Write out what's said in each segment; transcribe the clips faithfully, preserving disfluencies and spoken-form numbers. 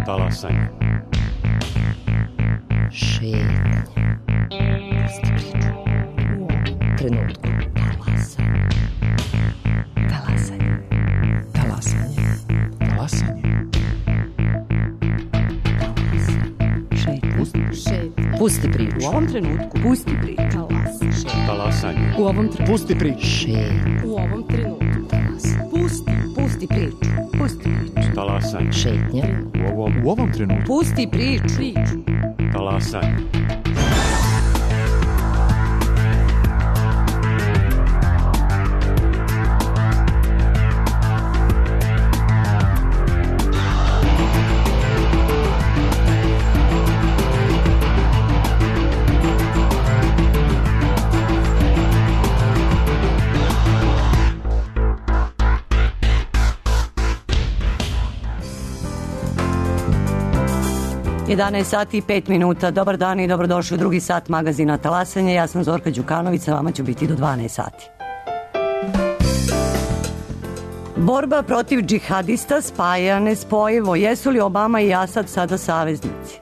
Talasanje. Šetnja. Pusti priču. U ovom trenutku. Talasanje. Talasanje. Talasanje. Talasanje. Šetnja. Šetnja. Pusti priču. U ovom trenutku. Pusti priču. Talasanje. Talasanje. U ovom trenutku. Pusti priču. Šetnja. U ovom trenutku. Talasanje. Pusti. Pusti priču. Pusti priču. Talasanje. Šetnja. U ovom, U ovom trenutku. Pusti priču. Priču. talasanje. jedanaest sati i pet minuta. Dobar dan i dobrodošli u drugi sat magazina Talasanje. Ja sam Zorka Đukanović, sa vama ću biti do dvanaest sati. Borba protiv džihadista spaja nespojivo. Jesu li Obama i Asad sada saveznici?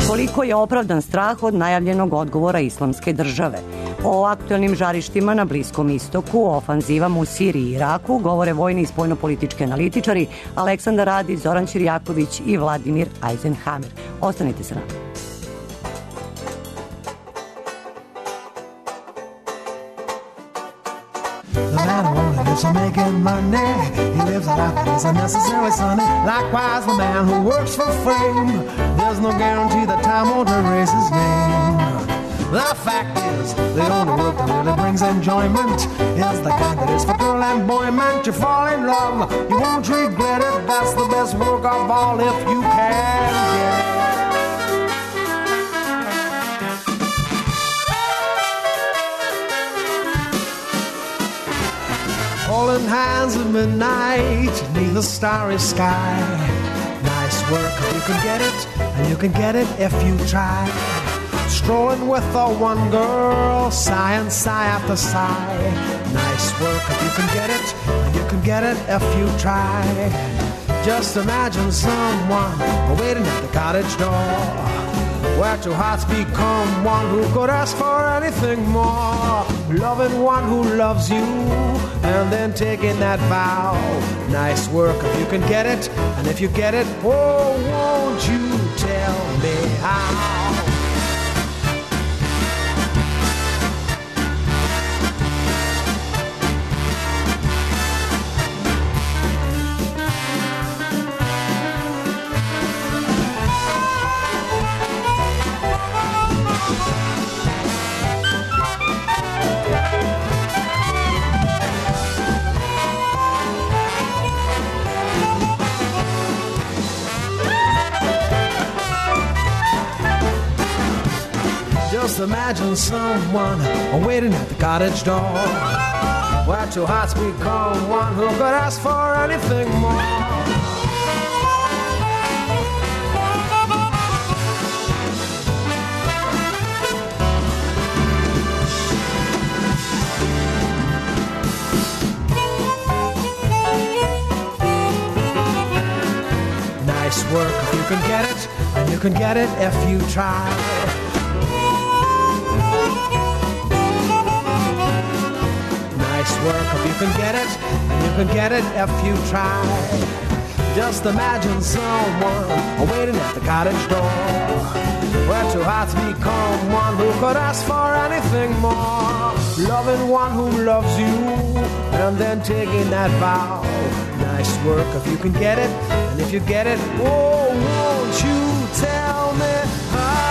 Koliko je opravdan strah od najavljenog odgovora Islamske države? O aktualnim žarištima na Bliskom istoku, o ofanzivama u Siriji i Iraku govore vojni i spoljnopolitički analitičari Aleksandar Radić, Zoran Ćirjaković i Vladimir Eisenhammer. Ostanite sa nama. The man who only lives for making money, he lives a life that is unnecessarily sunny. Likewise, the man who works for fame, there's no guarantee that time won't erase his name. The fact is, the only work that really brings enjoyment is the kind that is for girl and boy meant. You fall in love, you won't regret it. That's the best work of all if you can get it. Holding hands at midnight beneath a starry sky. Nice work if you can get it, and you can get it if you try. Strolling with the one girl, sigh and sigh after sigh. Nice work if you can get it, and you can get it if you try. Just imagine someone waiting at the cottage door, where two hearts become one who could ask for anything more. Loving one who loves you, and then taking that vow. Nice work if you can get it, and if you get it, oh, won't you tell me how? Just imagine someone waiting at the cottage door, where two hearts become one who could ask for anything more. Nice work if you can get it, and you can get it if you try. Nice work if you can get it, and you can get it if you try. Just imagine someone waiting at the cottage door, where two hearts become one who could ask for anything more. Loving one who loves you, and then taking that vow. Nice work if you can get it, and if you get it, oh, won't you tell me how?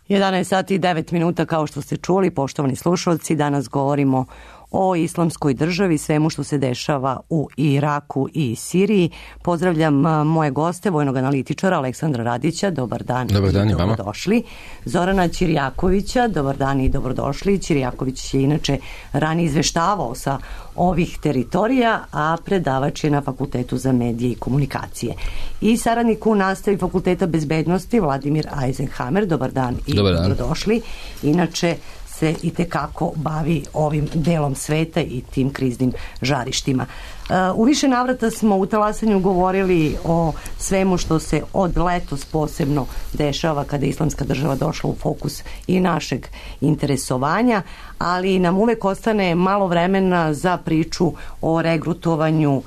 jedanaest sati i devet minuta, kao što ste čuli, poštovani slušalci, danas govorimo o islamskoj državi, svemu što se dešava u Iraku i Siriji. Pozdravljam moje goste, vojnog analitičara Aleksandra Radića, dobar dan, dobar dan i vama. Dobrodošli. Zorana Ćirjakovića, dobar dan i dobrodošli. Ćirjaković je inače ranije izveštavao sa ovih teritorija, a predavač je na Fakultetu za medije i komunikacije. I saradnik u nastavi Fakulteta bezbednosti Vladimir Eisenhammer, dobar dan i dobar dan. Dobrodošli. Inače se i tekako bavi ovim delom sveta i tim kriznim žarištima. U više navrata smo u Talasanju govorili o svemu što se od letos posebno dešava kada je islamska država došla u fokus i našeg interesovanja, ali nam uvek ostane malo vremena za priču o regrutovanju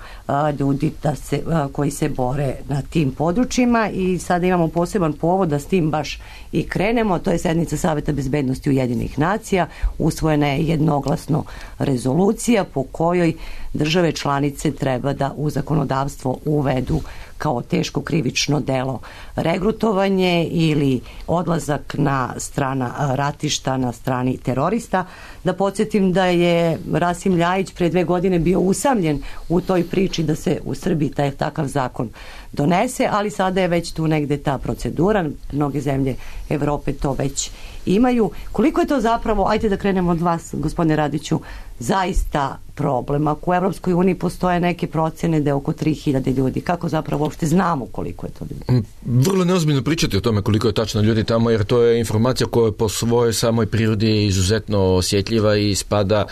ljudi da se, koji se bore na tim područjima i sada imamo poseban povod da s tim baš i krenemo. To je sednica Saveta bezbednosti Ujedinjenih nacija. Usvojena je jednoglasno rezolucija po kojoj države članice treba da u zakonodavstvo uvedu kao teško krivično delo regrutovanje ili odlazak na strana ratišta na strani terorista. Da podsjetim da je Rasim Ljajić pre dve godine bio usamljen u toj priči da se u Srbiji taj takav zakon donese, ali sada je već tu negde ta procedura. Mnoge zemlje Evrope to već imaju. Koliko je to zapravo, ajde da krenemo od vas, gospodine Radiću, zaista problem? Ako u Evropskoj uniji postoje neke procene da je oko tri hiljade ljudi, kako zapravo uopšte znamo koliko je to ljudi? Vrlo neozbiljno pričati o tome koliko je tačno ljudi tamo, jer to je informacija koja je po svojoj samoj prirodi izuzetno osjetljiva i spada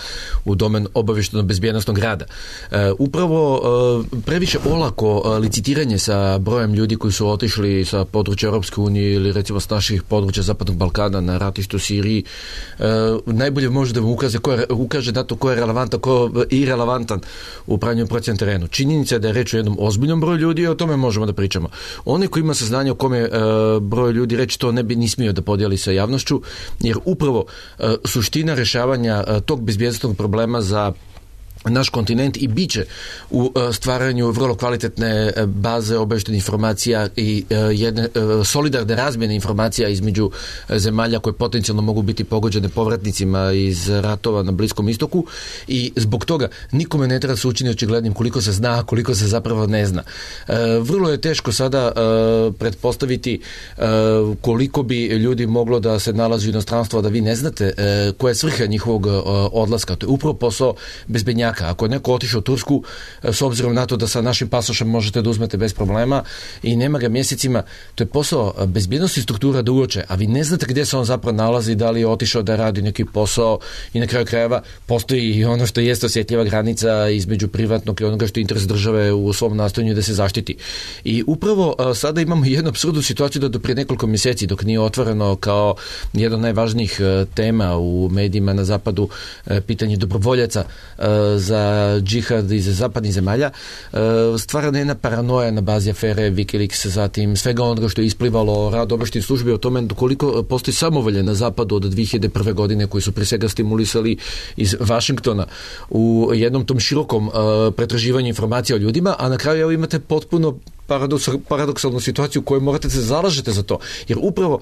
u domen obavještajno-bezbjednosnog rada. E, upravo e, previše olako licitiranje sa brojem ljudi koji su otišli sa područja Europske unije ili recimo s naših područja Zapadnog Balkana na ratištu u Siriji, e, najbolje može da vam ukaže, ko je, ukaže na to ko je relevantan, ko je irelevantan u pravnjem procjenu terenu. Činjenica je da je reč o jednom ozbiljnom broju ljudi i o tome možemo da pričamo. Onaj koji ima saznanje o kome e, broj ljudi reći, to ne bi ni smio da podijeli sa javnošću, jer upravo e, suština rešavanja e, tog bezbjednosnog problema za naš kontinent i biće u stvaranju vrlo kvalitetne baze obavještajnih informacija i jedne solidarne razmjene informacija između zemalja koje potencijalno mogu biti pogođene povratnicima iz ratova na Bliskom istoku i zbog toga nikome ne treba se učini očiglednim koliko se zna, koliko se zapravo ne zna. Vrlo je teško sada pretpostaviti koliko bi ljudi moglo da se nalazi u inostranstvu, a da vi ne znate koja je svrha njihovog odlaska. To je upravo posao bezbednjaka. Ako je neko otišao u Tursku, s obzirom na to da sa našim pasošem možete da uzmete bez problema i nema ga mjesecima, to je posao bezbjednosti struktura da uoče, a vi ne znate gdje se on zapravo nalazi, da li je otišao da radi neki posao i na kraju krajeva postoji i ono što jeste osjetljiva granica između privatnog i onoga što je interes države u svom nastojanju da se zaštiti. I upravo sada imamo jednu apsurdnu situaciju da do prije nekoliko mjeseci, dok nije otvoreno kao jedna od najvažnijih tema u medijima na zapadu pitanje dobrovoljaca za džihad iz zapadnih zemalja, stvarana je jedna paranoja na bazi afere Wikileaks, zatim svega onoga što je isplivalo rad obavještajnih službi o tome koliko postoji samovolje na zapadu od dve hiljade prve. godine koji su pre svega stimulisali iz Vašingtona u jednom tom širokom pretraživanju informacija o ljudima, a na kraju evo imate potpuno paradoksalnu situaciju u kojoj morate se zalažete za to, jer upravo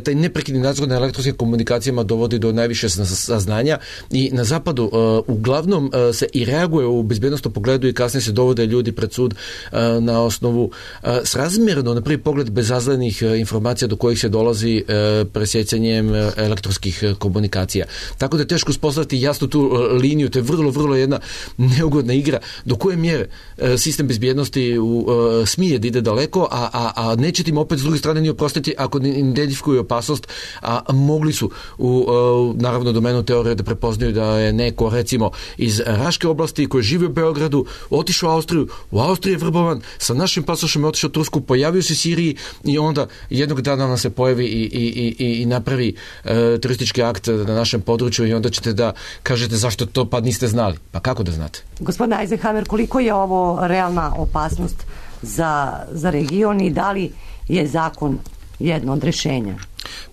taj neprekidni nadzor na elektronskim komunikacijama dovodi do najviše saznanja i na zapadu uh, uglavnom uh, se i reaguje u bezbjednostnom pogledu i kasnije se dovode ljudi pred sud uh, na osnovu uh, srazmjerno na prvi pogled bezazlenih uh, informacija do kojih se dolazi uh, presjecanjem uh, elektronskih uh, komunikacija. Tako da je teško uspostaviti jasno tu uh, liniju, to je vrlo, vrlo jedna neugodna igra do koje mjere uh, sistem bezbjednosti u uh, smije da ide daleko, a, a, a nećete im opet s druge strane ni oprostiti ako ne identifikuju opasnost, a mogli su u, u naravno domenu teorije da prepoznaju da je neko recimo iz Raške oblasti koji živi u Beogradu, otišao u Austriju, u Austriji je vrbovan, sa našim pasošem je otišao u Tursku, pojavio se u Siriji i onda jednog dana nam se pojavi i, i, i, i napravi e, teroristički akt na našem području i onda ćete da kažete zašto to pa niste znali. Pa kako da znate? Gospodine Eisenhammer, koliko je ovo realna opasnost za, za region i da li je zakon jedno od rješenja?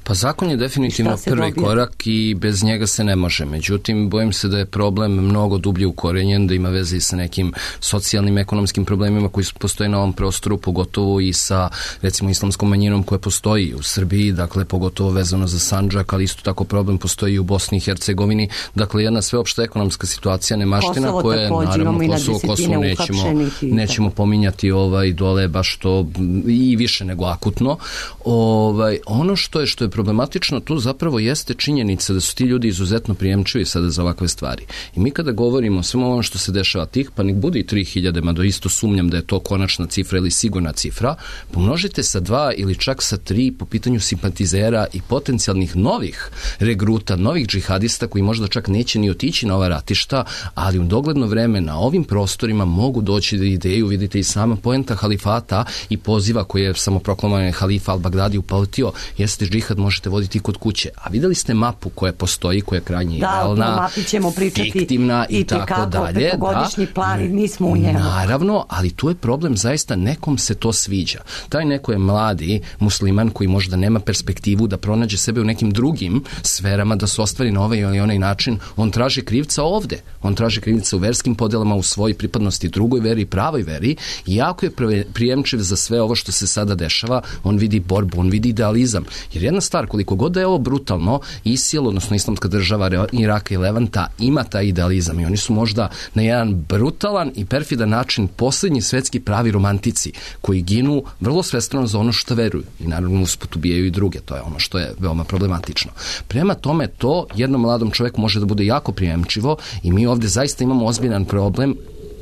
Pa zakon je definitivno prvi dobije? korak i bez njega se ne može. Međutim, bojim se da je problem mnogo dublje ukorenjen, da ima veze i sa nekim socijalnim, ekonomskim problemima koji postoje na ovom prostoru, pogotovo i sa, recimo, islamskom manjinom koja postoji u Srbiji, dakle, pogotovo vezano za Sandžak, ali isto tako problem postoji i u Bosni i Hercegovini. Dakle, jedna sveopšta ekonomska situacija, nemaština Kosovo koja je, takođe, naravno, imamo i na Kosovo, Kosovo desetine nećemo, uhapšenih i nećemo pominjati ovaj dole baš to i više nego akutno. Ovaj, ono što je što je problematično tu zapravo jeste činjenica da su ti ljudi izuzetno prijemčivi sada za ovakve stvari. I mi kada govorimo o svemu ono što se dešava tih, pa nek bude i tri hiljade, mada isto sumnjam da je to konačna cifra ili sigurna cifra, pomnožite sa dva ili čak sa tri po pitanju simpatizera i potencijalnih novih regruta, novih džihadista koji možda čak neće ni otići na ova ratišta, ali u dogledno vreme na ovim prostorima mogu doći do ideju, vidite i sama poenta halifata i poziva koji je samoproklamovan halifa al-Bagdadi uputio, jeste džihad možete voditi kod kuće. A vidjeli ste mapu koja postoji, koja je krajnje idealna, da, o mapi ćemo pričati fiktivna i, i tako dalje. Petogodišnji plan i mi smo u njemu. Naravno, ali tu je problem, zaista nekom se to sviđa. Taj neko je mladi musliman koji možda nema perspektivu da pronađe sebe u nekim drugim sferama, da se ostvari na ovaj ili onaj način. On traži krivca ovde. On traži krivca u verskim podelama, u svojoj pripadnosti drugoj veri, pravoj veri i jako je prijemčiv za sve ovo što se sada dešava. On vidi borbu, on vidi idealizam. Jer jedna stvar, koliko god da je ovo brutalno, ISIL, odnosno Islamska država Iraka i Levanta, ima taj idealizam i oni su možda na jedan brutalan i perfidan način posljednji svetski pravi romantici koji ginu vrlo svestrano za ono što veruju i naravno usput ubijaju i druge, to je ono što je veoma problematično. Prema tome to jednom mladom čovjeku može da bude jako prijemčivo i mi ovdje zaista imamo ozbiljan problem.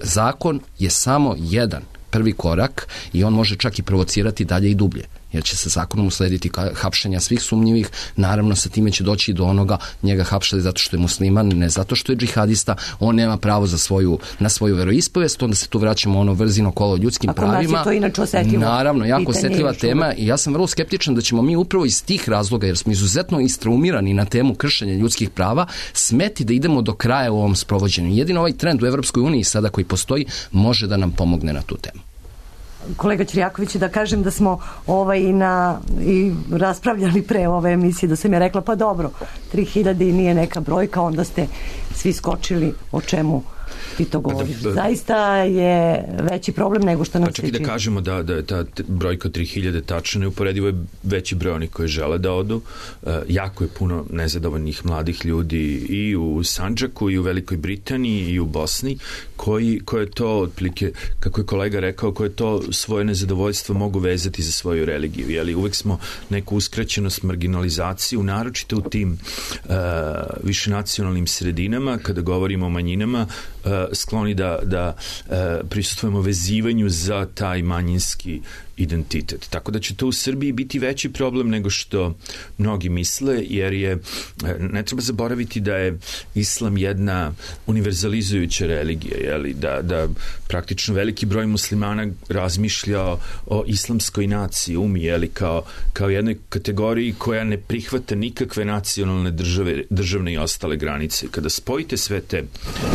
Zakon je samo jedan prvi korak i on može čak i provocirati dalje i dublje, jer će se zakonom uslediti hapšenja svih sumnjivih, naravno sa time će doći do onoga, njega hapšali zato što je musliman, ne zato što je džihadista, on nema pravo za svoju, na svoju veroispovest, onda se tu vraćamo ono vrzino kolo ljudskim Ako pravima. nas je to inače osjetljivo. Naravno, jako Pitanje osjetljiva je tema i ja sam vrlo skeptičan da ćemo mi upravo iz tih razloga, jer smo izuzetno istraumirani na temu kršenja ljudskih prava, smeti da idemo do kraja u ovom sprovođenju. Jedino ovaj trend u Evropskoj uniji sada koji postoji može da nam pomogne na tu temu. Kolega Ćirjaković, da kažem da smo ovaj i na i raspravljali pre ove emisije, da sam ja rekla pa dobro, tri hiljade i nije neka brojka, onda ste svi skočili o čemu ti to govoriš. Da, da, Zaista je veći problem nego što nam pa čak se i da čini. kažemo da, da je ta brojka tri hiljade tačna, neuporedivo je veći broj onih koji žele da odu. E, jako je puno nezadovoljnih mladih ljudi i u Sandžaku i u Velikoj Britaniji i u Bosni koji, koje to otprilike, kako je kolega rekao, koje to svoje nezadovoljstvo mogu vezati za svoju religiju. Jeli, uvek smo neku uskraćenost, marginalizaciju, naročito u tim e, višenacionalnim sredinama, kada govorimo o manjinama, Uh, skloni da, da uh, prisustvujemo vezivanju za taj manjinski identitet. Tako da će to u Srbiji biti veći problem nego što mnogi misle, jer je, ne treba zaboraviti da je islam jedna univerzalizujuća religija, jeli, da, da praktično veliki broj muslimana razmišlja o, o islamskoj naciji, umi, jeli, kao, kao jednoj kategoriji koja ne prihvata nikakve nacionalne države, državne i ostale granice. Kada spojite sve te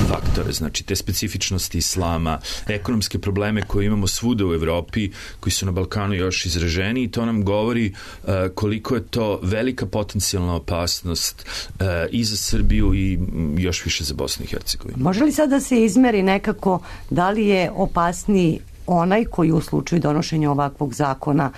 faktore, znači te specifičnosti islama, ekonomske probleme koje imamo svuda u Evropi, koji su na Balkanu još izraženi, i to nam govori uh, koliko je to velika potencijalna opasnost uh, i za Srbiju i još više za Bosnu i Hercegovinu. Može li sad da se izmeri nekako da li je opasniji onaj koji u slučaju donošenja ovakvog zakona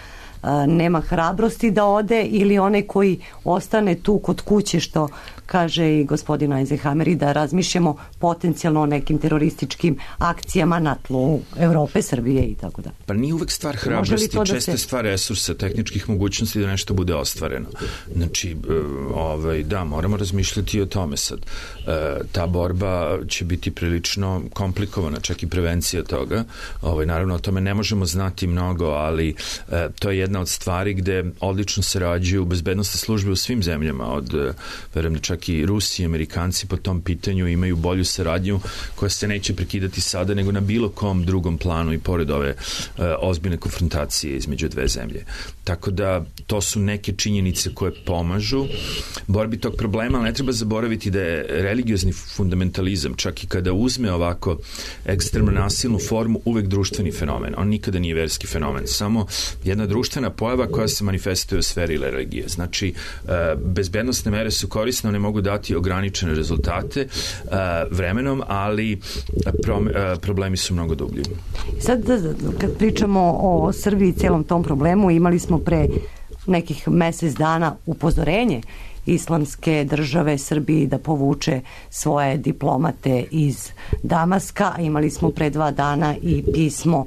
uh, nema hrabrosti da ode, ili onaj koji ostane tu kod kuće, što kaže i gospodin Eisenhammer, i da razmišljamo potencijalno o nekim terorističkim akcijama na tlu Evrope, Srbije i tako da. Pa nije uvek stvar hrabrosti, često je stvar resursa, tehničkih mogućnosti da nešto bude ostvareno. Znači, ovaj, da, moramo razmišljati o tome sad. Ta borba će biti prilično komplikovana, čak i prevencija toga. Ovaj, naravno, o tome ne možemo znati mnogo, ali to je jedna od stvari gde odlično sarađuju bezbednosne službe u svim zemljama, od, verujem da čak čak i Rusi i Amerikanci po tom pitanju imaju bolju saradnju koja se neće prekidati sada nego na bilo kom drugom planu i pored ove uh, ozbiljne konfrontacije između dve zemlje. Tako da to su neke činjenice koje pomažu borbi tog problema, ali ne treba zaboraviti da je religiozni fundamentalizam, čak i kada uzme ovako ekstremno nasilnu formu, uvek društveni fenomen. On nikada nije verski fenomen, samo jedna društvena pojava koja se manifestuje u sferi religije. Znači, bezbednostne mere su korisne, one mogu dati ograničene rezultate vremenom, ali problemi su mnogo dublji. Sad, kad pričamo o Srbiji i celom tom problemu, imali smo pre nekih mesec dana upozorenje Islamske države Srbiji da povuče svoje diplomate iz Damaska. Imali smo pre dva dana i pismo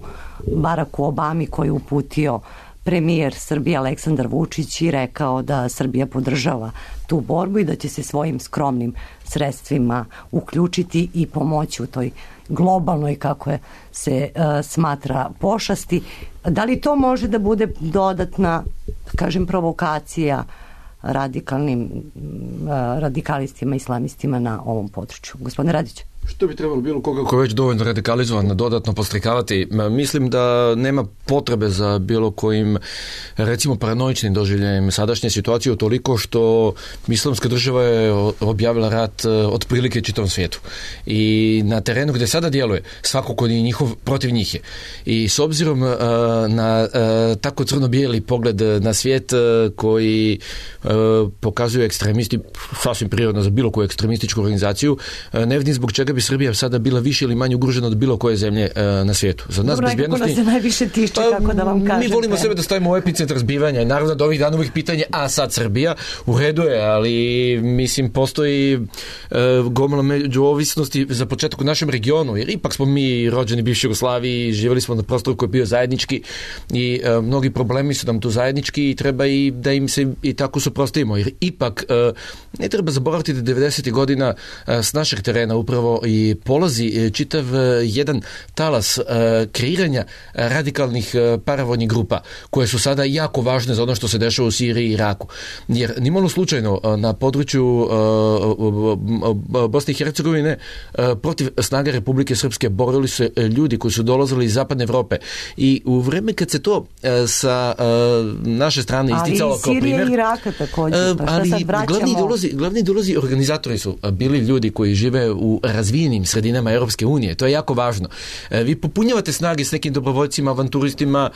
Baracku Obami koji je uputio premijer Srbije Aleksandar Vučić i rekao da Srbija podržava tu borbu i da će se svojim skromnim sredstvima uključiti i pomoći u toj globalnoj, kako je, se uh, smatra, pošasti. Da li to može da bude dodatna, kažem, provokacija radikalnim uh, radikalistima, islamistima na ovom području? Gospodine Radić. Što bi trebalo bilo koga ko je već dovoljno radikalizovan dodatno postrikavati? Mislim da nema potrebe za bilo kojim, recimo, paranoičnim doživljajem sadašnje situacije, toliko što islamska država je objavila rat otprilike čitavom svijetu. I na terenu gde sada djeluje, svako ko je njihov, protiv njih je. I s obzirom na tako crno-bijeli pogled na svijet koji pokazuju ekstremisti, sasvim prirodno za bilo koju ekstremističku organizaciju, ne vidim zbog čega bi Srbija sada bila više ili manje ugrožena od bilo koje zemlje e, na svijetu. Za nas bezbjednosti... Dobro, se najviše tiče, kako da vam kažem. Mi volimo sebe da stavimo u epicentar zbivanja i naravno da ovih dana uvijek pitanje, a sad Srbija, u redu je, ali mislim postoji e, gomila međuovisnosti za početak u našem regionu, jer ipak smo mi rođeni bivši Jugoslaviji, živjeli smo na prostoru koji je bio zajednički i e, mnogi problemi su nam tu zajednički i treba i da im se i tako suprotstavimo, jer ipak e, ne treba zaboraviti da devedesetih godina e, s našeg terena upravo i polazi čitav jedan talas kreiranja radikalnih paravojnih grupa koje su sada jako važne za ono što se dešava u Siriji i Iraku. Jer nimalo slučajno na području Bosne i Hercegovine protiv snaga Republike Srpske borili su ljudi koji su dolazili iz zapadne Evrope i u vreme kad se to sa naše strane isticalo kao primjer... Ali i Sirije i Iraka također. Pa ali glavni ideolozi, glavni ideolozi organizatori su bili ljudi koji žive u razvijenim sredinama Europske unije. To je jako važno. Vi popunjavate snage s nekim dobrovoljcima, avanturistima,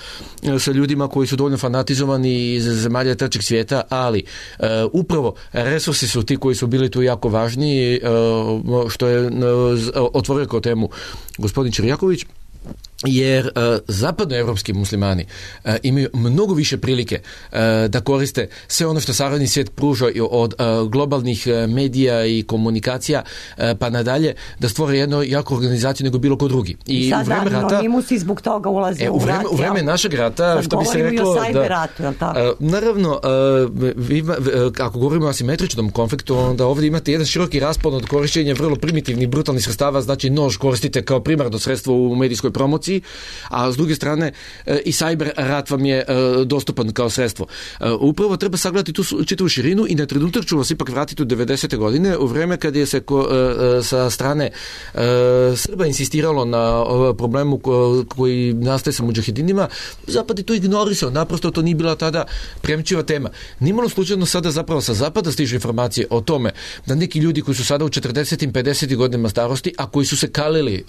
sa ljudima koji su dovoljno fanatizovani iz zemalja trećeg svijeta, ali uh, upravo resursi su ti koji su bili tu jako važni, uh, što je uh, otvorio kao temu gospodin Čirjaković, jer uh, zapadnoevropski muslimani uh, imaju mnogo više prilike uh, da koriste sve ono što savremen svijet pruža od uh, globalnih uh, medija i komunikacija uh, pa nadalje, da stvore jednu jaku organizaciju nego bilo ko drugi. I, I sad u vreme rata, anonimusi zbog toga ulaze e, u, u rat. U vreme našeg rata, što bi se reklo... Da, ratu, je li tako? Uh, naravno, uh, vi, uh, ako govorimo o asimetričnom konfliktu, onda ovdje imate jedan široki raspon od korišćenja vrlo primitivnih, brutalnih sredstava, znači nož koristite kao primarno sredstvo u medijskoj promociji, a s druge strane i cyber rat vam je dostupan kao sredstvo. Upravo treba sagledati tu čitavu širinu i na trenutak ću vas ipak vratiti u devedesete godine, u vreme kad je se ko, sa strane Srba insistiralo na problemu koji nastaje sa mudžahedinima, Zapad je to ignorisao, naprosto to nije bila tada premčiva tema. Nimalo slučajno sada zapravo sa Zapada stižu informacije o tome da neki ljudi koji su sada u četrdesetim, pedesetim godinama starosti, a koji su se kalili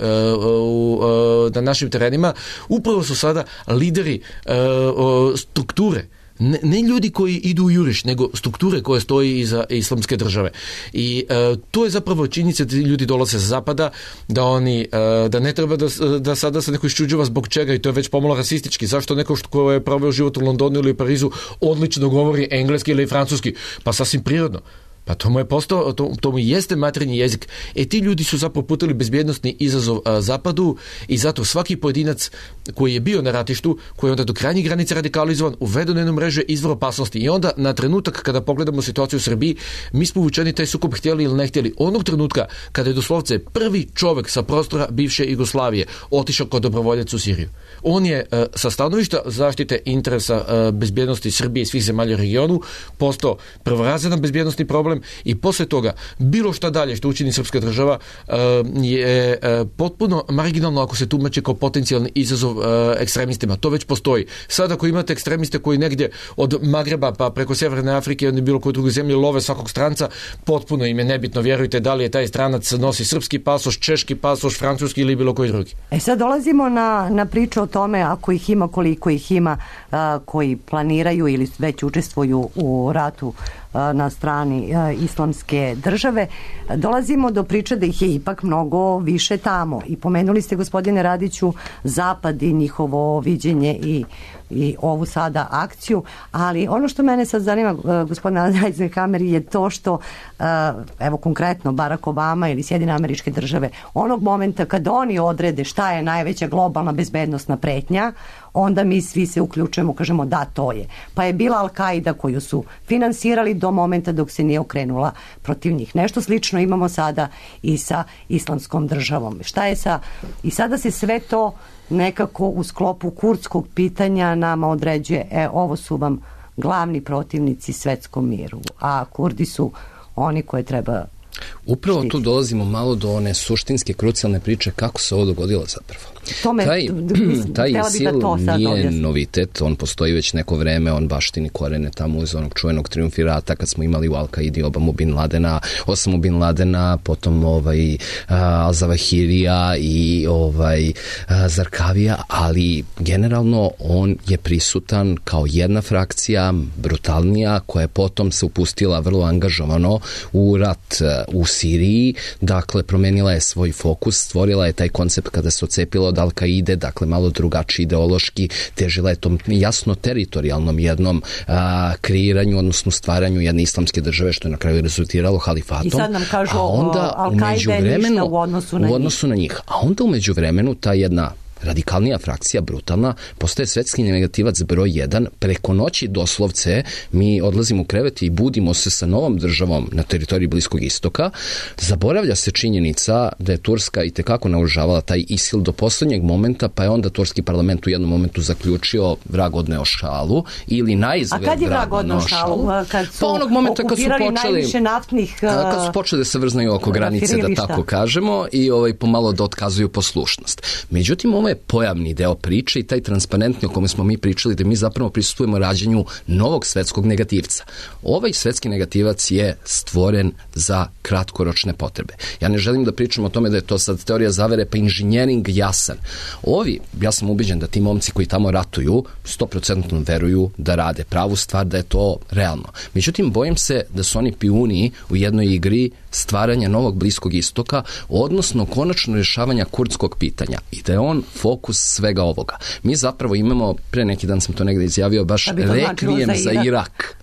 u, na našim terenima, upravo su sada lideri uh, strukture. Ne, ne ljudi koji idu u juriš, nego strukture koje stoji iza islamske države. I uh, to je zapravo činjenica da ljudi dolaze sa zapada, da oni, uh, da ne treba da, da sada se neko iščuđava zbog čega, i to je već pomalo rasistički. Zašto neko ko je proveo život u Londonu ili Parizu odlično govori engleski ili francuski? Pa sasvim prirodno. Pa to mu je postao, to, to mu jeste materinji jezik. E ti ljudi su zapravo putili bezbjednostni izazov a, Zapadu i zato svaki pojedinac koji je bio na ratištu, koji je onda do krajnjih granica radikalizovan, uveden u jednu mrežu izvor opasnosti. I onda na trenutak kada pogledamo situaciju u Srbiji, mi smo uvučeni taj sukob htjeli ili ne htjeli. Onog trenutka kada je doslovce prvi čovjek sa prostora bivše Jugoslavije otišao kao dobrovoljac u Siriju. On je a, sa stanovišta zaštite interesa a, bezbjednosti Srbije i svih zemalja u regionu postao prvorazedan bezbjednosni problem problem i posle toga bilo šta dalje što učini srpska država uh, je uh, potpuno marginalno ako se tumači kao potencijalni izazov uh, ekstremistima. To već postoji. Sad ako imate ekstremiste koji negdje od Magreba pa preko Severne Afrike ili bilo koje druge zemlje love svakog stranca, potpuno im je nebitno, vjerujte, da li je taj stranac nosi srpski pasoš, češki pasoš, francuski ili bilo koji drugi. E sad dolazimo na, na priču o tome ako ih ima, koliko ih ima a, koji planiraju ili već učestvuju u ratu a, na strani a, islamske države. Dolazimo do priče da ih je ipak mnogo više tamo. I pomenuli ste, gospodine Radiću, Zapad i njihovo viđenje i i ovu sada akciju, ali ono što mene sad zanima, gospodina Eisenhower, je to što, evo konkretno Barack Obama ili Sjedinjene Američke Države, onog momenta kad oni odrede šta je najveća globalna bezbednosna pretnja, onda mi svi se uključujemo, kažemo da, to je. Pa je bila Al-Qaida koju su finansirali do momenta dok se nije okrenula protiv njih. Nešto slično imamo sada i sa islamskom državom. Šta je sa... I sada se sve to nekako u sklopu kurdskog pitanja nama određuje, e, ovo su vam glavni protivnici svetskom miru, a Kurdi su oni koje treba Upravo štititi. Tu dolazimo malo do one suštinske, krucijalne priče kako se ovo dogodilo zapravo. Tome, taj taj ISIL da nije objasnim. novitet, on postoji već neko vreme, on baštini korene tamo uz onog čuvenog triumvirata kad smo imali u Al-Qaidi Obamu Bin Ladena, Osamu Bin Ladena, potom ovaj uh, Al-Zawahirija i ovaj uh, Zarkavija, ali generalno on je prisutan kao jedna frakcija, brutalnija, koja je potom se upustila vrlo angažovano u rat uh, u Siriji, dakle promenila je svoj fokus, stvorila je taj koncept kada se ocepila od Al-Qaide, dakle malo drugačiji ideološki, težila je tom jasno teritorijalnom jednom a, kreiranju, odnosno stvaranju jedne islamske države, što je na kraju rezultiralo halifatom. I sad nam kažu, a onda Al-Qaida je ništa u odnosu na u odnosu njih. na njih. A onda umeđu vremenu ta jedna radikalnija frakcija, brutalna, postaje svetski negativac broj jedan. Preko noći doslovce mi odlazimo u krevet i budimo se sa novom državom na teritoriji Bliskog istoka. Zaboravlja se činjenica da je Turska i tekako naoružavala taj ISIL do poslednjeg momenta, pa je onda turski parlament u jednom momentu zaključio vrag odneo šalu ili najizgled vrag odneo šalu. A kad je vrag odneo šalu? Kad su pa onog momenta kad su počeli najviše naftnih kad su počeli da se vrznaju oko granice, da tako kažemo, i ovaj pomalo da otkazuju poslušnost. Međutim, ovo je pojavni deo priče i taj transparentni o kome smo mi pričali, da mi zapravo prisustujemo rađanju novog svetskog negativca. Ovaj svetski negativac je stvoren za kratkoročne potrebe. Ja ne želim da pričam o tome da je to sad teorija zavere, pa inženjering jasan. Ovi, ja sam ubeđen da ti momci koji tamo ratuju sto posto veruju da rade pravu stvar, da je to realno. Međutim, bojim se da su oni pijuni u jednoj igri stvaranja novog Bliskog istoka, odnosno konačno rješavanja kurdskog pitanja i da je on fokus svega ovoga. Mi zapravo imamo, pre neki dan sam to negde izjavio, baš rekvijem za Irak. Irak.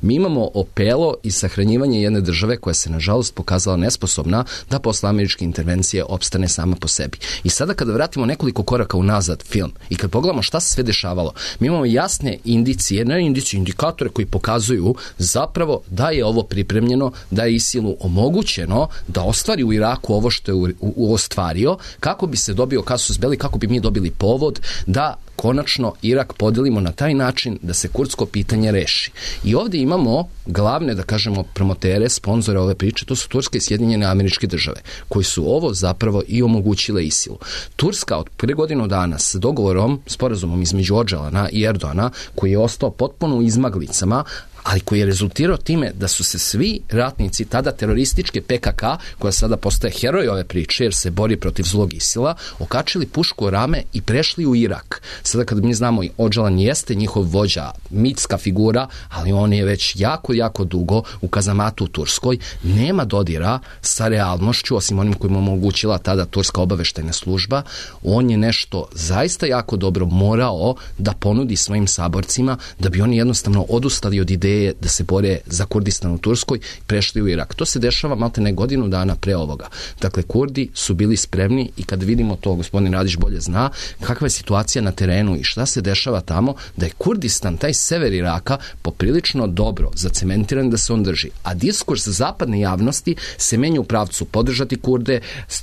Mi imamo opelo i sahranjivanje jedne države koja se nažalost pokazala nesposobna da posle američke intervencije opstane sama po sebi. I sada kada vratimo nekoliko koraka unazad film i kad pogledamo šta se sve dešavalo, mi imamo jasne indicije, ne indicije, indikatore koji pokazuju zapravo da je ovo pripremljeno, da je ISIL-u omogućeno da ostvari u Iraku ovo što je u, u, u ostvario, kako bi se dobio kasus belli, kako bi mi dobili povod da konačno Irak podelimo na taj način da se kurdsko pitanje reši. I ovdje imamo glavne, da kažemo, promotere, sponzore ove priče, to su Turske i Sjedinjene Američke Države, koji su ovo zapravo i omogućile ISIL-u. Turska od pre godinu dana s dogovorom, sporazumom između Odžalana i Erdogana, koji je ostao potpuno u izmaglicama, ali koji je rezultirao time da su se svi ratnici tada terorističke P K K, koja sada postaje heroj ove priče jer se bori protiv zlog ISIL-a, okačili pušku o rame i prešli u Irak. Sada kad mi znamo, Odžalan jeste njihov vođa, mitska figura, ali on je već jako, jako dugo u kazamatu u Turskoj, nema dodira sa realnošću, osim onim kojim omogućila tada turska obaveštajna služba. On je nešto zaista jako dobro morao da ponudi svojim saborcima, da bi oni jednostavno odustali od ideje da se bore za Kurdistan u Turskoj, prešli u Irak. To se dešava maltene godinu dana pre ovoga. Dakle, Kurdi su bili spremni i kad vidimo to, gospodin Radić bolje zna, kakva je situacija na terenu i šta se dešava tamo, da je Kurdistan, taj sever Iraka, poprilično dobro zacementiran da se on drži. A diskurs zapadne javnosti se menja u pravcu podržati Kurde,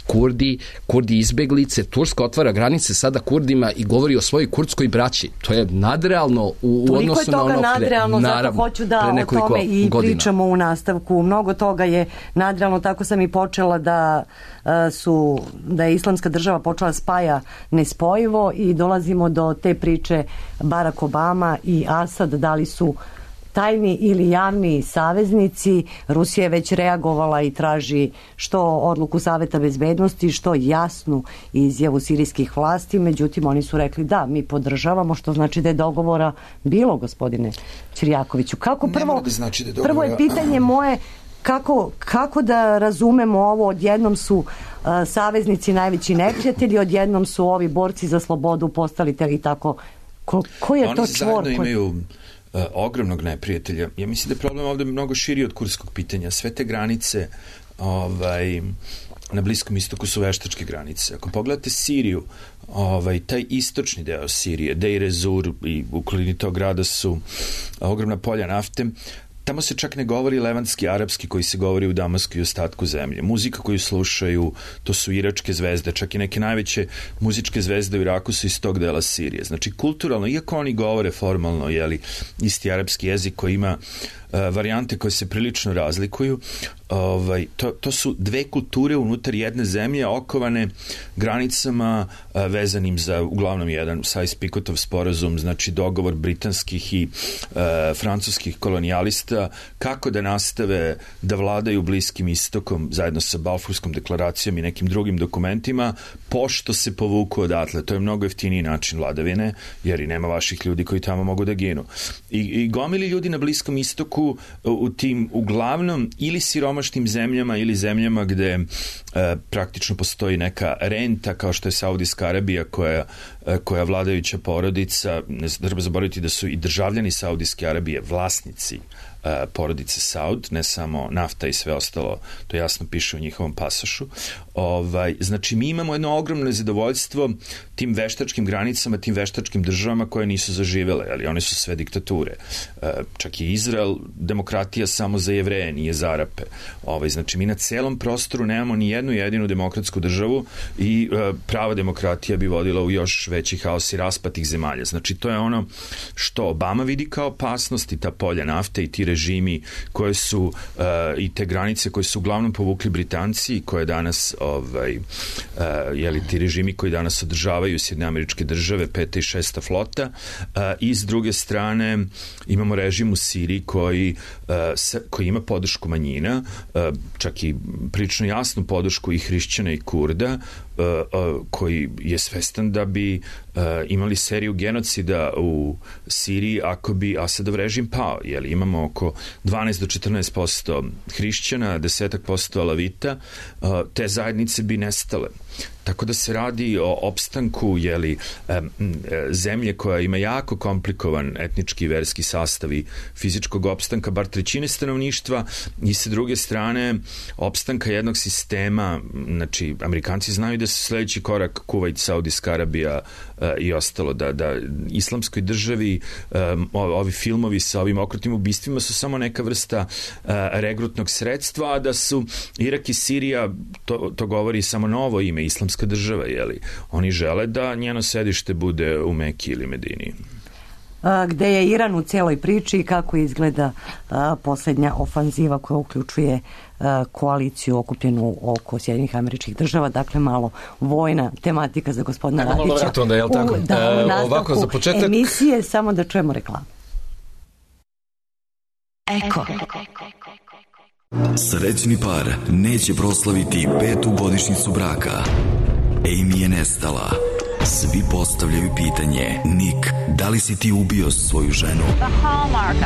Kurdi, Kurdi izbeglice, Turska otvara granice sada Kurdima i govori o svojoj kurdskoj braći. To je nadrealno u, u odnosu na ono pre. Naravno. ću da pre o nekoliko tome i godina. pričamo u nastavku. Mnogo toga je nadrealno, tako sam i počela da uh, su, da je islamska država počela spaja nespojivo i dolazimo do te priče Barack Obama i Asad, da li su tajni ili javni saveznici. Rusija je već reagovala i traži što odluku Saveta bezbednosti, što jasnu izjavu sirijskih vlasti, međutim oni su rekli da, mi podržavamo, što znači da je dogovora bilo, gospodine Ćirjakoviću. Kako prvo, da znači da je dogovora... prvo je pitanje moje kako, kako da razumemo ovo, odjednom su uh, saveznici najveći neprijatelji, odjednom su ovi borci za slobodu postali te i tako. Ko, ko je oni to čvor? čvor? Oni zajedno imaju Uh, ogromnog neprijatelja. Ja mislim da je problem ovde mnogo širi od kurskog pitanja. Sve te granice ovaj, na Bliskom istoku su veštačke granice. Ako pogledate Siriju, ovaj, taj istočni deo Sirije, Deir ez-Zur i u okolini tog grada su ogromna polja nafte. Tamo se čak ne govori levantski, arapski koji se govori u Damasku i ostatku zemlje. Muzika koju slušaju, to su iračke zvezde, čak i neke najveće muzičke zvezde u Iraku su iz tog dela Sirije. Znači, kulturalno, iako oni govore formalno, jeli, isti arapski jezik koji ima uh, varijante koje se prilično razlikuju, ovaj, to, to su dve kulture unutar jedne zemlje okovane granicama uh, vezanim za uglavnom jedan Sykes-Picotov sporazum, znači dogovor britanskih i uh, francuskih kolonijalista kako da nastave da vladaju Bliskim istokom zajedno sa Balfurskom deklaracijom i nekim drugim dokumentima, pošto se povuku odatle. To je mnogo jeftiniji način vladavine, jer i nema vaših ljudi koji tamo mogu da ginu. I, i gomili ljudi na Bliskom istoku u, u tim uglavnom ili siromašnim zemljama ili zemljama gde e, praktično postoji neka renta kao što je Saudijska Arabija koja, e, koja vladajuća porodica, ne treba zaboraviti da su i državljani Saudijske Arabije vlasnici porodice Saud, ne samo nafta i sve ostalo, to jasno piše u njihovom pasošu. Ovaj, znači, mi imamo jedno ogromno zadovoljstvo tim veštačkim granicama, tim veštačkim državama koje nisu zaživele, ali one su sve diktature. Čak i Izrael, demokratija samo za Jevreje, nije za Arape. Ovaj, znači, mi na celom prostoru nemamo ni jednu jedinu demokratsku državu i prava demokratija bi vodila u još veći haos i raspad tih zemalja. Znači, to je ono što Obama vidi kao opasnost i ta polja nafte i ti režimi koje su uh, i te granice koje su uglavnom povukli Britanci i koje danas ovaj, uh, jeli, ti režimi koji danas održavaju Sjedinjene Američke Države, peta i šesta flota, uh, i s druge strane imamo režim u Siriji koji, uh, se, koji ima podršku manjina, uh, čak i prilično jasnu podršku i hrišćana i Kurda, uh, uh, koji je svestan da bi uh, imali seriju genocida u Siriji ako bi Asadov režim pao. Jeli, imamo oko dvanaest do četrnaest posto hrišćana, deset posto alavita, te zajednice bi nestale. Tako da se radi o opstanku jeli, zemlje koja ima jako komplikovan etnički i verski sastav i fizičkog opstanka, bar trećine stanovništva i sa druge strane opstanka jednog sistema, znači Amerikanci znaju da su sledeći korak Kuvajt, Saudijska Arabija i ostalo, da, da islamskoj državi ovi filmovi sa ovim okrutnim ubistvima su samo neka vrsta regrutnog sredstva, a da su Irak i Sirija, to, to govori samo novo ime, islamska država, jeli? Oni žele da njeno sedište bude u Meki ili Medini. A, gde je Iran u celoj priči i kako izgleda a, posljednja ofanziva koja uključuje a, koaliciju okupljenu oko Sjedinjenih Američkih Država, dakle malo vojna tematika za gospodina Ajmo Radića. malo vrat onda, jel tako? U, da, u e, ovako, za početak... emisije, samo da čujemo reklamu. Eko. Srećni par neće proslaviti petu godišnjicu braka. Amy je nestala. Svi postavljaju pitanje: Nick, da li si ti ubio svoju ženu?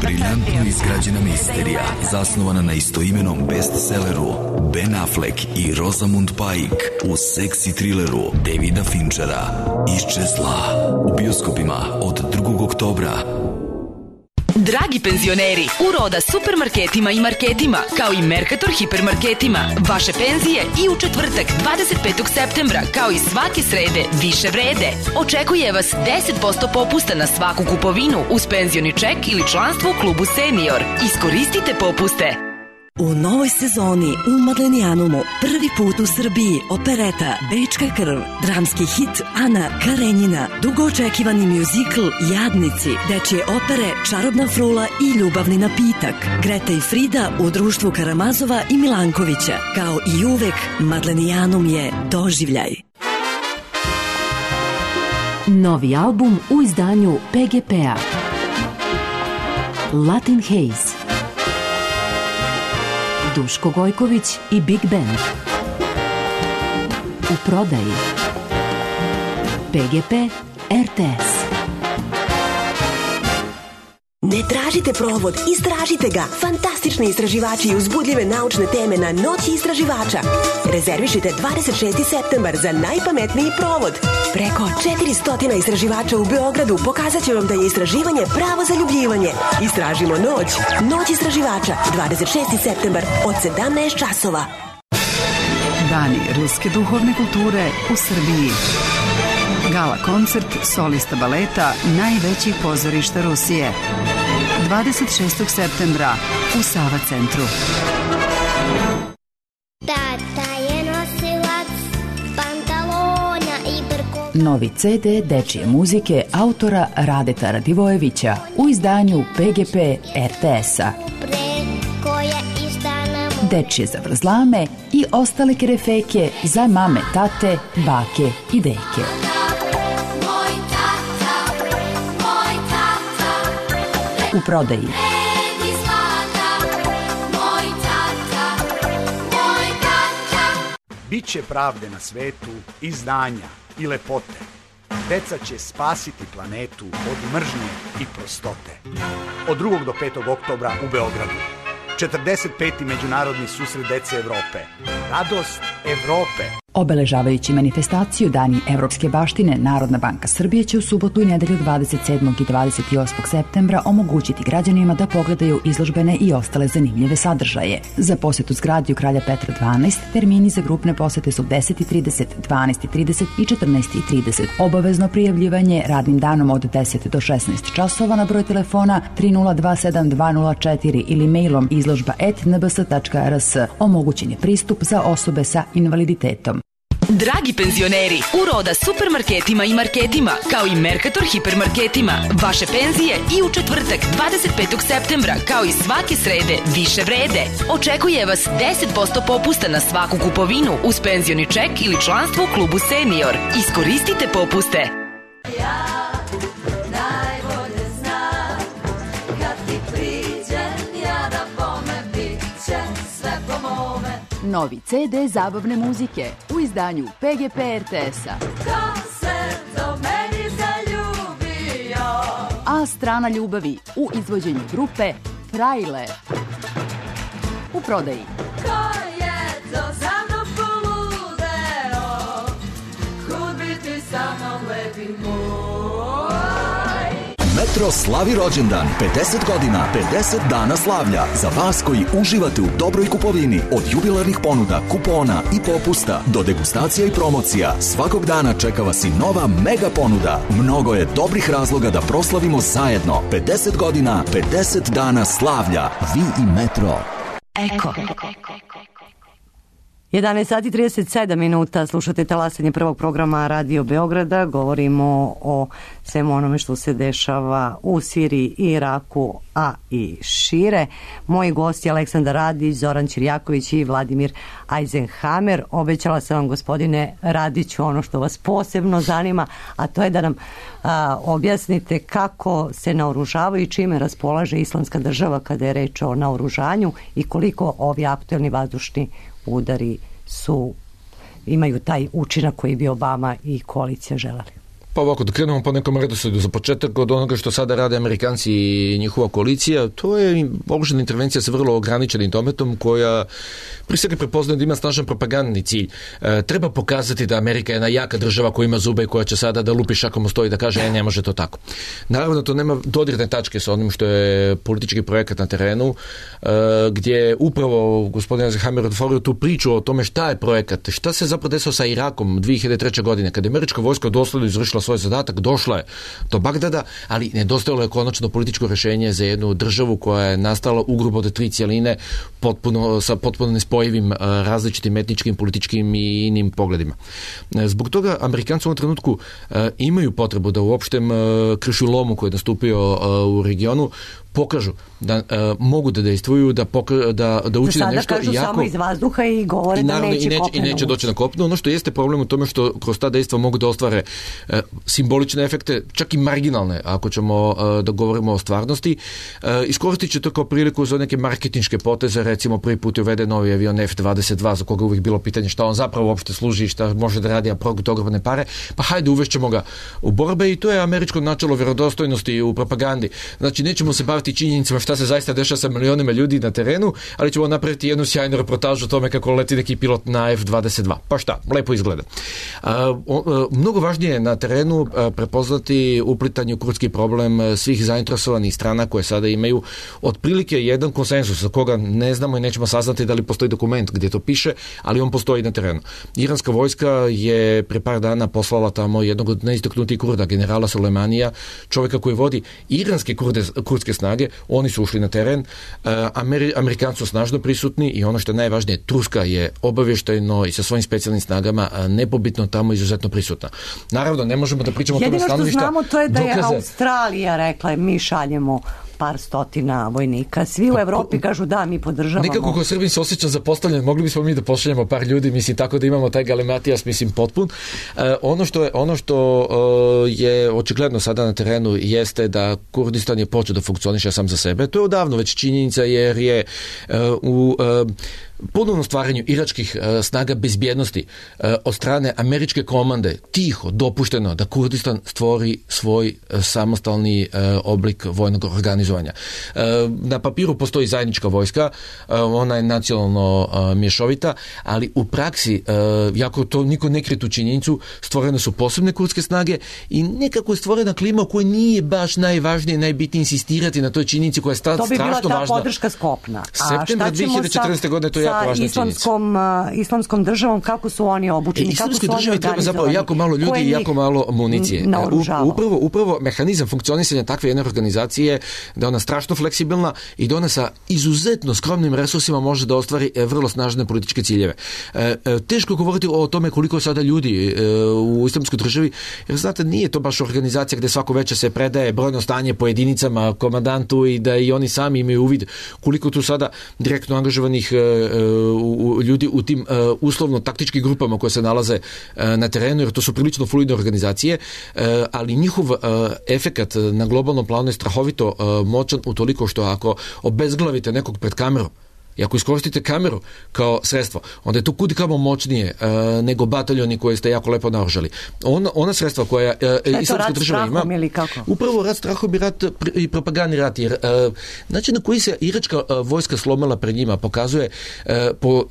Briljantno izgrađena misterija, zasnovana na istoimenom bestselleru Ben Affleck i Rosamund Pike u seksi trileru Davida Finchera Iščezla, u bioskopima od drugog oktobra. Dragi penzioneri, uroda supermarketima i marketima, kao i Mercator hipermarketima. Vaše penzije i u četvrtak dvadeset petog septembra, kao i svake srede, više vrede. Očekuje vas deset posto popusta na svaku kupovinu uz penzioni ček ili članstvo u klubu Senior. Iskoristite popuste. U novoj sezoni u Madlenijanumu prvi put u Srbiji opereta Bečka krv, dramski hit Ana Karenjina, dugo očekivani mjuzikl Jadnici, dečje opere Čarobna frula i Ljubavni napitak, Greta i Frida u društvu Karamazova i Milankovića. Kao i uvek, Madlenijanum je doživljaj. Novi album u izdanju P G P-a. Latin Haze. Duško Gojković i Big Band. U prodaji. P G P R T S. Ne tražite provod, istražite ga. Fantastični istraživači i uzbudljive naučne teme na Noći istraživača. Rezervišite dvadeset šesti septembar za najpametniji provod. Preko četiristo istraživača u Beogradu pokazat će vam da je istraživanje pravo zaljubljivanje. Istražimo noć. Noć istraživača, dvadeset šesti septembar od sedamnaest časova. Dani ruske duhovne kulture u Srbiji. Gala koncert solista baleta najvećih pozorišta Rusije. dvadeset šestog septembra u Sava centru. Tata je nosilac pantalona i brkova. Novi C D dečije muzike autora Radeta Radivojevića u izdanju P G P R T S-a. Dečije zavrzlame i ostale kerefeke za mame, tate, bake i deke. U prodaji. Biće pravde na svetu i znanja i lepote. Deca će spasiti planetu od mržnje i prostote. Od drugog do petog oktobra u Beogradu. četrdeset peti Međunarodni susret dece Evrope. Radost Evrope. Obeležavajući manifestaciju Dani evropske baštine, Narodna banka Srbije će u subotu i nedelju dvadeset sedmog i dvadeset osmog septembra omogućiti građanima da pogledaju izložbene i ostale zanimljive sadržaje. Za posetu zgradi u Kralja Petra dvanaest termini za grupne posete su deset i trideset, dvanaest i trideset i četrnaest i trideset. Obavezno prijavljivanje radnim danom od deset do šesnaest časova na broj telefona tri nula dva sedam dva nula četiri ili mailom izložba et n b s tačka r s. Omogućen je pristup za osobe sa invaliditetom. Dragi penzioneri, u Roda supermarketima i marketima, kao i Mercator hipermarketima, vaše penzije i u četvrtak dvadeset petog septembra, kao i svake srede, više vrede. Očekuje vas deset posto popusta na svaku kupovinu uz penzioni ček ili članstvo u klubu Senior. Iskoristite popuste. Ja najbolje znam, kad ti priđem, ja da bome bit će sve po mome. Novi C D zabavne muzike u izdanju P G P R T S-a. Ko se do meni zaljubio? A strana ljubavi u izvođenju grupe Frajle. U prodaji. Ko je to za mnom poludeo? Kud bi ti sa mnom lepi moj? Metro slavi rođendan, pedeset godina, pedeset dana slavlja. Za vas koji uživate u dobroj kupovini, od jubilarnih ponuda, kupona i popusta do degustacija i promocija, svakog dana čeka vas i nova mega ponuda. Mnogo je dobrih razloga da proslavimo zajedno. pedeset godina, pedeset dana slavlja. Vi i Metro. Eko. jedanaest sati i trideset sedam minuta, slušate talasanje prvog programa Radio Beograda. Govorimo o svemu onome što se dešava u Siriji i Iraku, a i šire. Moji gosti Aleksandar Radić, Zoran Ćirjaković i Vladimir Eisenhammer. Obećala sam vam, gospodine Radiću, ono što vas posebno zanima, a to je da nam a, objasnite kako se naoružavaju i čime raspolaže Islamska država kada je reč o naoružanju i koliko ovi aktuelni vazdušni udari su, imaju taj učinak koji bi Obama i koalicija želeli. Pa ovako, da krenemo po nekom redosledu. Za početak od onoga što sada rade Amerikanci i njihova koalicija, to je oružana intervencija sa vrlo ograničenim dometom koja pri svega prepoznaje da ima snažan propagandni cilj. E, treba pokazati da Amerika je jedna jaka država koja ima zube i koja će sada da lupi šakom u sto i da kaže, e, ne može to tako. Naravno, to nema dodirne tačke sa onim što je politički projekat na terenu, e, gdje upravo gospodin Eisenhammer otvorio tu priču o tome šta je projekat, šta se zapravo desilo sa Irakom dve hiljade treće godine, kada je američka vojska dosledno izvršila svoj zadatak, došla je do Bagdada, ali nedostajalo je konačno političko rešenje za jednu državu koja je nastala ugrubo od tri cijeline potpuno, sa potpuno nespojivim različitim etničkim, političkim i inim pogledima. Zbog toga Amerikanci u ovom trenutku imaju potrebu da u opštem kršulomu koji je nastupio u regionu pokažu da uh, mogu da dejstvuju, da, poka, da, da učine nešto. Sada kažu jako, samo iz vazduha i govore i naravno, da neće, i neće, kopneno i neće doći na kopno. Ono što jeste problem u tome što kroz ta dejstva mogu da ostvare uh, simbolične efekte, čak i marginalne, ako ćemo uh, da govorimo o stvarnosti. Uh, iskoristit će to kao priliku za neke marketinške poteze, recimo prvi put je uveden novi avion F dvadeset dva, za koga uvijek bilo pitanje šta on zapravo uopšte služi, šta može da radi, a progut ogromne pare, pa hajde uvešćemo ga u borbe i to je američko načelo vjerodostojnosti u propagandi. Znači, nećemo se baviti činjenicama šta se zaista dešava sa milionima ljudi na terenu, ali ćemo napraviti jednu sjajnu reportažu o tome kako leti neki pilot na F dvadeset dva. Pa šta, lepo izgleda. A, o, a, mnogo važnije je na terenu a, prepoznati uplitanje u kurdski problem svih zainteresovanih strana koje sada imaju otprilike jedan konsensus za koga ne znamo i nećemo saznati da li postoji dokument gdje to piše, ali on postoji na terenu. Iranska vojska je pre par dana poslala tamo jednog od najistaknutijih Kurda, generala Sulejmanija, čovjeka koji vodi iranske kurde, kurdske snage. Oni su ušli na teren, Ameri, Amerikanci su snažno prisutni i ono što je najvažnije, Turska je obavještajno i sa svojim specijalnim snagama nepobitno tamo izuzetno prisutna. Naravno, ne možemo da pričamo jedino o tome stanovišta. Jedino što znamo to je da je dokaze. Australija rekla mi šaljemo par stotina vojnika. Svi u Evropi kažu da, mi podržavamo. Nekako ko Srbin se osjećam zapostavljen, mogli bismo mi da pošaljemo par ljudi, mislim, tako da imamo taj galimatijas, mislim, potpun. E, ono što je, ono što e, je očigledno sada na terenu jeste da Kurdistan je počeo da funkcioniše sam za sebe. To je odavno već činjenica jer je e, u e, ponovnom stvaranju iračkih e, snaga bezbjednosti e, od strane američke komande tiho dopušteno da Kurdistan stvori svoj e, samostalni e, oblik vojnog organizovanja. E, na papiru postoji zajednička vojska, e, ona je nacionalno e, mješovita, ali u praksi, e, jako to niko ne krije tu činjenicu, stvorene su posebne kurdske snage i nekako je stvorena klima u kojoj nije baš najvažnije, najbitnije insistirati na toj činjenici koja je sta, strašno važna. To bi bila ta podrška Skopna. Septembra dve hiljade četrnaeste. godine to je jako važna islamskom, uh, islamskom državom, kako su oni obučeni, e, kako su oni organizovani. Treba zapravo jako malo ljudi i jako malo municije. Upravo, upravo mehanizam funkcionisanja takve jedne organizacije da ona strašno fleksibilna i da ona sa izuzetno skromnim resursima može da ostvari vrlo snažne političke ciljeve. E, teško govoriti o tome koliko sada ljudi e, u islamskoj državi, jer znate, nije to baš organizacija gde svako veče se predaje brojno stanje po jedinicama komandantu i da i oni sami imaju uvid koliko tu sada direktno angažovanih e, u, ljudi u tim uh, uslovno taktičkim grupama koje se nalaze uh, na terenu, jer to su prilično fluidne organizacije, uh, ali njihov uh, efekat na globalnom planu je strahovito uh, moćan utoliko što ako obezglavite nekog pred kamerom i ako iskoristite kameru kao sredstvo, onda je to kudi kamo moćnije uh, nego bataljoni koje ste jako lepo naoružali. Ona, ona sredstva koja uh, islamska država ima, upravo rat strahom i rat i propagandni rat, jer uh, način na koji se iračka uh, vojska slomila pred njima pokazuje uh, po uh,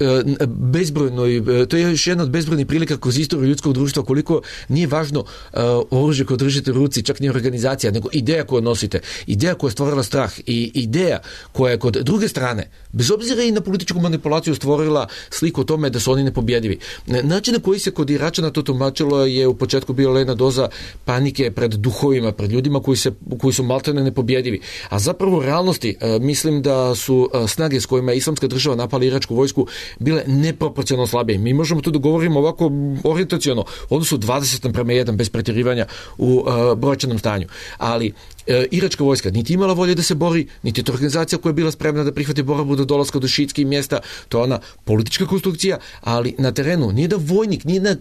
bezbrojnoj, uh, to je još jedna od bezbrojnih prilika kroz istoriju ljudskog društva koliko nije važno uh, oružje koje držite u ruci, čak nije organizacija, nego ideja koju nosite, ideja koja je stvorila strah i ideja koja je kod druge strane, bez obzira i na političku manipulaciju stvorila sliku o tome da su oni nepobjedivi. Način na koji se kod Iračana to tumačilo je u početku bila jedna doza panike pred duhovima, pred ljudima koji, se, koji su maltene nepobjedivi. A zapravo u realnosti e, mislim da su e, snage s kojima je islamska država napala iračku vojsku bile neproporcionalno slabije. Mi možemo tu da govorimo ovako orijentaciono, odnosno dvadeset naprema jedan bez pretjerivanja u e, brojčanom stanju. Ali e, iračka vojska niti imala volje da se bori, niti je to organizacija koja je bila spremna da prihvati borbu do dolaska do šiitskih mjesta, to je ona politička konstrukcija, ali na terenu nije da vojnik, nije da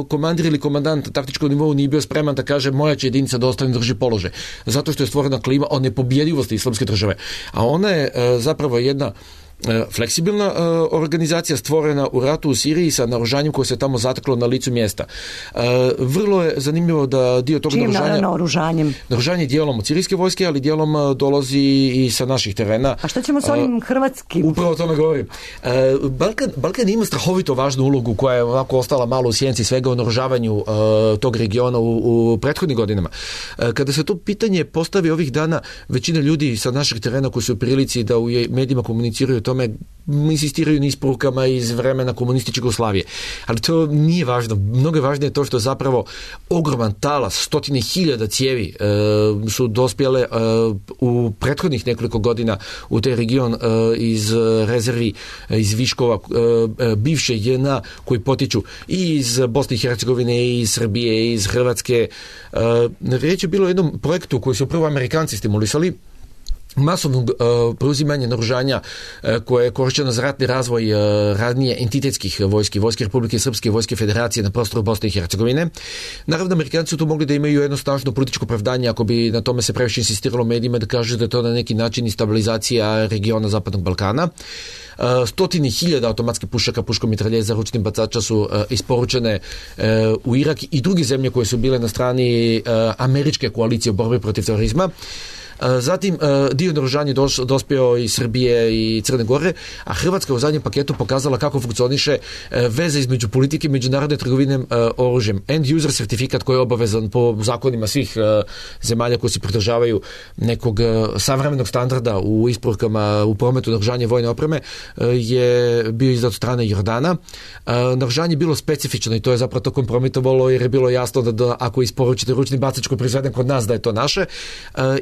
komandir ili komandant taktičkog nivou nije bio spreman da kaže moja će jedinica da ostane drži položaj, zato što je stvorena klima o nepobjedivosti islamske države. A ona je zapravo jedna fleksibilna uh, organizacija stvorena u ratu u Siriji sa naoružanjem koje se tamo zateklo na licu mjesta. Uh, vrlo je zanimljivo da dio tog naoružanja naoružanjem? Naoružanje dijelom od sirijske vojske, ali dijelom uh, dolazi i sa naših terena. A šta ćemo s onim uh, hrvatskim? Upravo o tome govorim. Uh, Balkan, Balkan ima strahovito važnu ulogu koja je ovako ostala malo u sjenci svega o naoružavanju uh, tog regiona u, u prethodnim godinama. Uh, kada se to pitanje postavi ovih dana, većina ljudi sa naših terena koji su u prilici da u medijima komuniciraju tome insistiraju na isporukama iz vremena komunističke Jugoslavije. Ali to nije važno. Mnogo je važnije to što zapravo ogroman talas, stotine hiljada cijevi e, su dospjele e, u prethodnih nekoliko godina u taj region e, iz rezervi, e, iz viškova e, bivše J N A koji potiču i iz Bosne i Hercegovine, i iz Srbije, i iz Hrvatske. E, riječ je bilo o jednom projektu koji su prvo Amerikanci stimulisali, masovnog uh, preuzimanja naoružanja uh, koje je korišteno za ratni razvoj uh, radnije entitetskih vojski, Vojske Republike Srpske, Vojske Federacije na prostoru Bosne i Hercegovine. Naravno, Amerikanci su tu mogli da imaju jedno snažno političko opravdanje ako bi na tome se previše insistiralo medijima da kažu da je to na neki način i stabilizacija regiona Zapadnog Balkana. Uh, stotine hiljada automatskih pušaka, puškomitraljeza, ručnih bacača su uh, isporučene uh, u Irak i druge zemlje koje su bile na strani uh, američke koalicije u borbi protiv terorizma. Zatim, dio naoružanja dospio iz Srbije i Crne Gore, a Hrvatska u zadnjem paketu pokazala kako funkcioniše veza između politike i međunarodne trgovine oružjem. End user certifikat koji je obavezan po zakonima svih zemalja koji se pridržavaju nekog savremenog standarda u isporukama u prometu naoružanja vojne opreme je bio izdat od strane Jordana. Naoružanje je bilo specifično i to je zapravo to kompromitovalo jer je bilo jasno da, da ako isporučite ručni bacač koji je proizveden kod nas da je to naše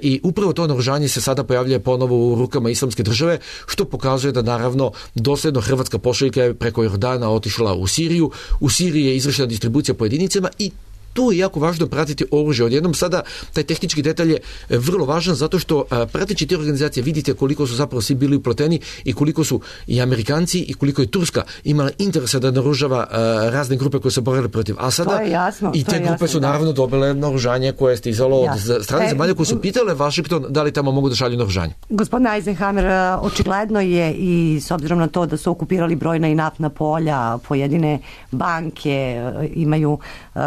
i upravo to naoružanje se sada pojavljuje ponovo u rukama Islamske države, što pokazuje da naravno dosljedno hrvatska pošiljka je preko Jordana otišla u Siriju. U Siriji je izvršena distribucija po jedinicama i tu je jako važno pratiti oružje. Odjednom sada taj tehnički detalj je vrlo važan zato što prateći te organizacije vidite koliko su zapravo svi bili upleteni i koliko su i Amerikanci i koliko je Turska imala interesa da naoružava razne grupe koje se borile protiv Asada. To je jasno, i te grupe jasno, su da. naravno dobile naoružanje koje je stizalo od strane e, zemalja koje su pitale Washington da li tamo mogu da šalju naoružanje. Gospodin Eisenhower, očigledno je i s obzirom na to da su okupirali brojna i naftna polja, pojedine banke imaju uh,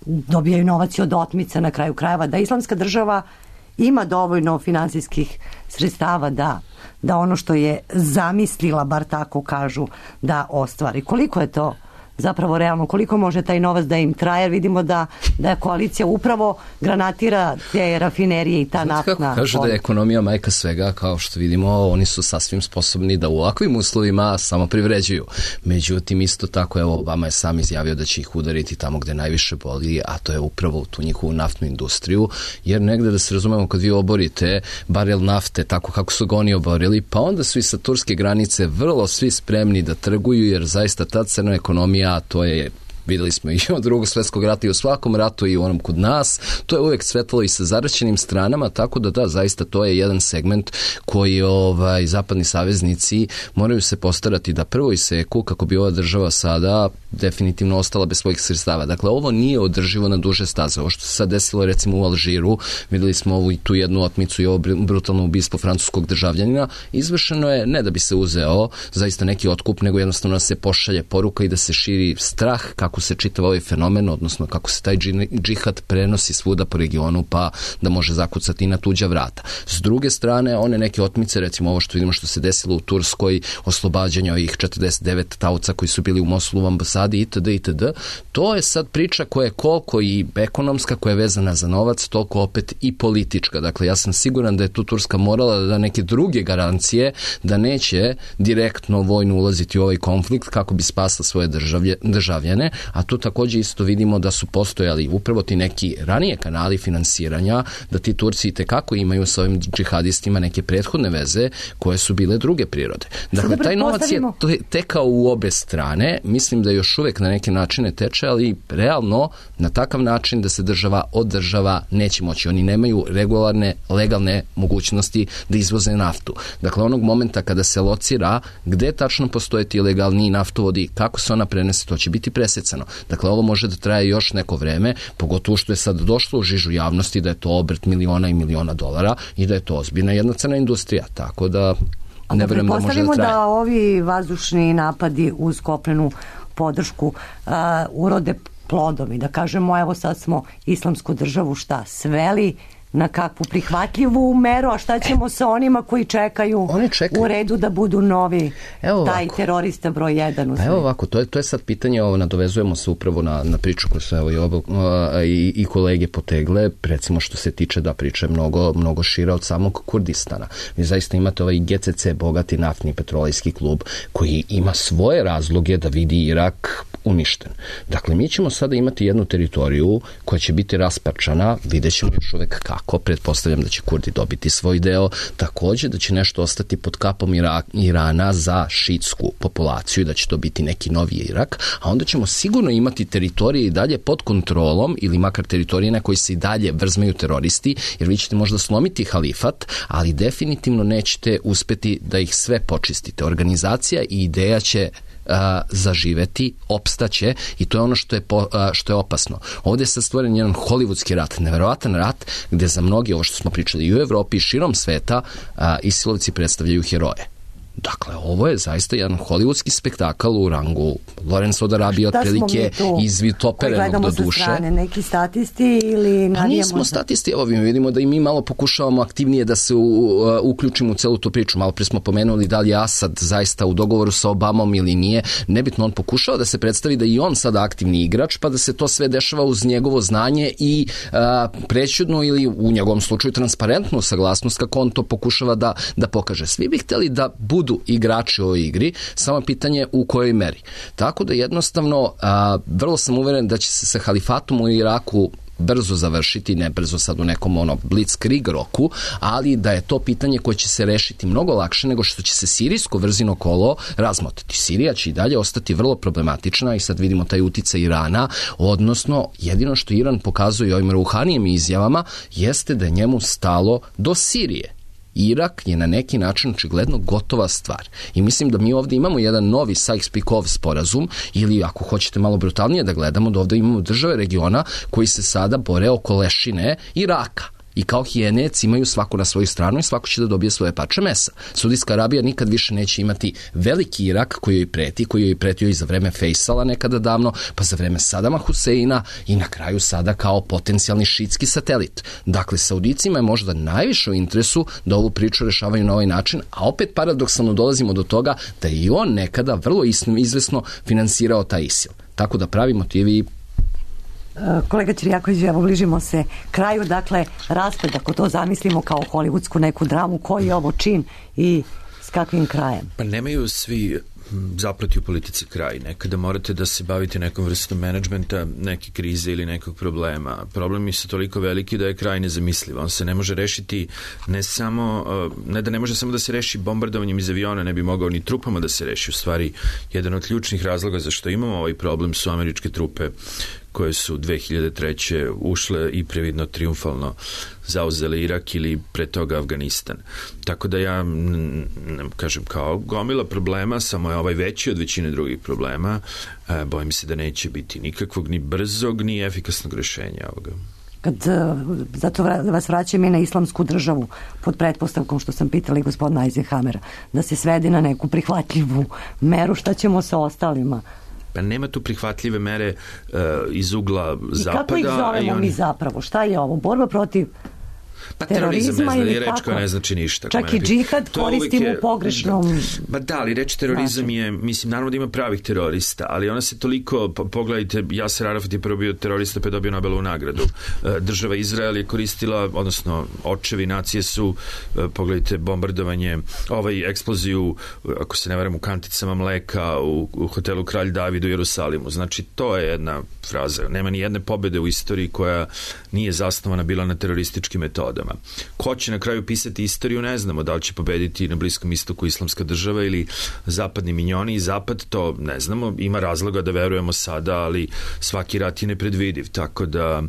dobijaju novac od otmica na kraju krajeva, da Islamska država ima dovoljno finansijskih sredstava da, da ono što je zamislila, bar tako kažu, da ostvari. Koliko je to zapravo realno, koliko može taj novac da im traje, jer vidimo da, da koalicija upravo granatira te rafinerije i ta naftna. Kako kažu da je ekonomija majka svega, kao što vidimo, oni su sasvim sposobni da u ovakvim uslovima samo privređuju. Međutim, isto tako, evo, Obama je sam izjavio da će ih udariti tamo gde najviše boli, a to je upravo u tu njihovu naftnu industriju, jer negde da se razumemo, kad vi oborite barel nafte tako kako su ga oni oborili, pa onda su i sa turske granice vrlo svi spremni da trguju, jer zaista ta crna ekonomija, a to je, videli smo i od drugog svjetskog rata i u svakom ratu i u onom kod nas, to je uvijek svetlalo i sa zaraćenim stranama, tako da da, zaista to je jedan segment koji ovaj, zapadni saveznici moraju se postarati da prvo iseku kako bi ova država sada definitivno ostala bez svojih sredstava. Dakle, ovo nije održivo na duže staze. Ovo što se sad desilo recimo u Alžiru, videli smo ovu, tu jednu otmicu i ovo brutalno ubistvo francuskog državljanina, izvršeno je ne da bi se uzeo zaista neki otkup, nego jednostavno da se pošalje poruka i da se širi strah kako se čitava ovaj fenomen, odnosno kako se taj džihad prenosi svuda po regionu, pa da može zakucati na tuđa vrata. S druge strane, one neke otmice, recimo ovo što vidimo što se desilo u Turskoj, oslobađanje ovih četrdeset devet taoca koji su bili u Mosulu u ambasadi itd. itd. To je sad priča koja je koliko i ekonomska, koja je vezana za novac, toliko opet i politička. Dakle, ja sam siguran da je tu Turska morala da da neke druge garancije da neće direktno vojno ulaziti u ovaj konflikt kako bi spasla svoje državlje, državljane, a tu također isto vidimo da su postojali upravo ti neki ranije kanali finansiranja, da ti Turci itekako imaju sa ovim džihadistima neke prethodne veze koje su bile druge prirode. Dakle, taj novac je tekao u obe strane, mislim da još uvijek na neke načine teče, ali realno na takav način da se država od država neće moći. Oni nemaju regularne, legalne mogućnosti da izvoze naftu. Dakle, onog momenta kada se locira gde tačno postoje ti legalni naftovodi, kako se ona prenese, to će biti presecano. Dakle, ovo može da traje još neko vreme, pogotovo što je sad došlo u žižu javnosti da je to obrt miliona i miliona dolara i da je to ozbiljna jedna crna industrija. Tako da ne verujem da može da traje. Da ovi vazdušni napadi uz kopnenu podršku uh, urode plodom i da kažemo, evo sad smo islamsku državu šta sveli na kakvu prihvatljivu meru, a šta ćemo sa onima koji čekaju, čekaju. u redu da budu novi evo taj ovako. terorista broj jedan u pa evo ovako, to je, to je sad pitanje, ovo, nadovezujemo se upravo na, na priču koju su evo, i, obo, i, i kolege potegle, recimo što se tiče da priče mnogo, mnogo šira od samog Kurdistana. Vi zaista imate ovaj G C C, bogati naftni petrolejski klub, koji ima svoje razloge da vidi Irak uništen. Dakle, mi ćemo sada imati jednu teritoriju koja će biti rasparčana, vidjet ćemo još uvek kako, pretpostavljam da će Kurdi dobiti svoj deo, takođe da će nešto ostati pod kapom Irak, Irana za šitsku populaciju, da će to biti neki novi Irak, a onda ćemo sigurno imati teritorije i dalje pod kontrolom, ili makar teritorije na koji se i dalje vrzmeju teroristi, jer vi ćete možda slomiti halifat, ali definitivno nećete uspeti da ih sve počistite. Organizacija i ideja će A, zaživeti, opstaće i to je ono što je, po, a, što je opasno. Ovdje je sad stvoren jedan hollywoodski rat, neverovatan rat gdje za mnogi, ovo što smo pričali i u Evropi i širom sveta, a, Isilovci predstavljaju heroje. Dakle, ovo je zaista jedan hollywoodski spektakl u rangu Lawrence od Arabije, otprilike izvitoperenog do duše. Sa strane, neki statisti ili navijamo? Pa nismo za... statisti, evo mi vidimo da i mi malo pokušavamo aktivnije da se u, uh, uključimo u celu tu priču. Malo prije smo pomenuli da li je Asad zaista u dogovoru sa Obamom ili nije. Nebitno, on pokušao da se predstavi da i on sada aktivni igrač, pa da se to sve dešava uz njegovo znanje i uh, prećudnu ili u njegovom slučaju transparentnu saglasnost kako on to pokušava da, da pokaže. Svi bi hteli da budu igrači u ovoj igri, samo pitanje u kojoj meri. Tako da jednostavno, a, vrlo sam uveren da će se sa halifatom u Iraku brzo završiti, ne brzo sad u nekom ono blitzkrieg roku, ali da je to pitanje koje će se rešiti mnogo lakše nego što će se sirijsko vrzino kolo razmotati. Sirija će i dalje ostati vrlo problematična i sad vidimo taj uticaj Irana, odnosno jedino što Iran pokazuje ovim Ruhanijem izjavama jeste da je njemu stalo do Sirije. Irak je na neki način očigledno gotova stvar. I mislim da mi ovdje imamo jedan novi Sykes-Picot sporazum, ili ako hoćete malo brutalnije da gledamo, da ovdje imamo države regiona koji se sada bore oko lešine Iraka. I kao hijenec imaju svako na svoju stranu i svako će da dobije svoje pače mesa. Saudijska Arabija nikad više neće imati veliki Irak koji joj preti, koji joj pretio i za vreme Fejsala nekada davno, pa za vreme Sadama Huseina i na kraju sada kao potencijalni šitski satelit. Dakle, Saudicima je možda najviše u interesu da ovu priču rešavaju na ovaj način, a opet paradoksalno dolazimo do toga da je i on nekada vrlo izvesno finansirao taj ISIL. Tako da pravi motivi. Kolega Ćirjaković, evo bližimo se kraju, dakle raspad, ako to zamislimo kao hollywoodsku neku dramu, koji je ovo čin i s kakvim krajem? Pa nemaju svi zapleti u politici kraj. Nekada morate da se bavite nekom vrstom menadžmenta, neke krize ili nekog problema. Problemi su toliko veliki da je kraj nezamisliv. On se ne može rešiti ne samo, ne da ne može samo da se reši bombardovanjem iz aviona, ne bi mogao ni trupama da se reši. U stvari, jedan od ključnih razloga zašto imamo ovaj problem su američke trupe koje su dve hiljade treće ušle i previdno triumfalno zauzele Irak ili pre toga Afganistan. Tako da ja kažem kao gomila problema, samo je ovaj veći od većine drugih problema. E, bojim se da neće biti nikakvog ni brzog ni efikasnog rešenja ovoga. Kad zato vas vraćam i na islamsku državu pod pretpostavkom što sam pitala i gospodina Eisenhamera, da se svede na neku prihvatljivu meru, šta ćemo sa ostalima? Pa nema tu prihvatljive mere uh, iz ugla I zapada. I kako ih zovemo oni... mi zapravo? Šta je ovo? Borba protiv pa terorizam ne zna, je reč koja ne znači ništa. Čak i džihad koristimo u pogrešnom... Ba da, ali reč terorizam je, mislim, naravno da ima pravih terorista, ali ona se toliko, pogledajte, Jaser Arafat je prvo bio terorista pa je dobio Nobelovu nagradu. Država Izrael je koristila, odnosno očevi nacije su, pogledajte, bombardovanje, ovaj eksploziju, ako se ne varam, u kanticama mleka u, u hotelu Kralj David u Jerusalimu. Znači, to je jedna fraza. Nema ni jedne pobede u istoriji koja nije zasnovana bila na terorističkim metodama. Ko će na kraju pisati istoriju, ne znamo. Da li će pobediti na Bliskom istoku islamska država ili zapadni minjoni i zapad, to ne znamo. Ima razloga da verujemo sada, ali svaki rat je nepredvidiv. Tako da,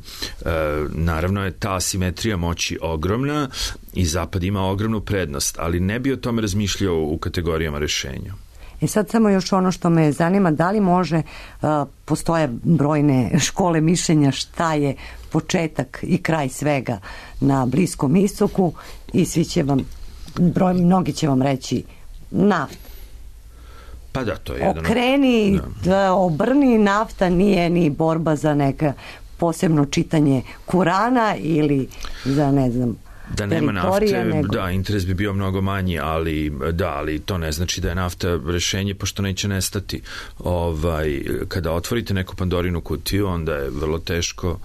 e, naravno je ta asimetrija moći ogromna i zapad ima ogromnu prednost, ali ne bi o tome razmišljao u kategorijama rešenja. I sad samo još ono što me zanima, da li može, uh, postoje brojne škole mišljenja šta je početak i kraj svega na Bliskom istoku i svi će vam, broj, mnogi će vam reći nafta. Pa da, to je jedan... Okreni, da. Da, obrni, nafta nije ni borba za neka posebno čitanje Kurana ili za, ne znam, da nema nafte, nego... da, interes bi bio mnogo manji, ali da, ali to ne znači da je nafta rešenje, pošto neće nestati. Ovaj, kada otvorite neku Pandorinu kutiju, onda je vrlo teško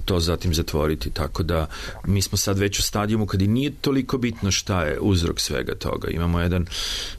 to zatim zatvoriti, tako da mi smo sad već u stadijumu kad i nije toliko bitno šta je uzrok svega toga. Imamo jedan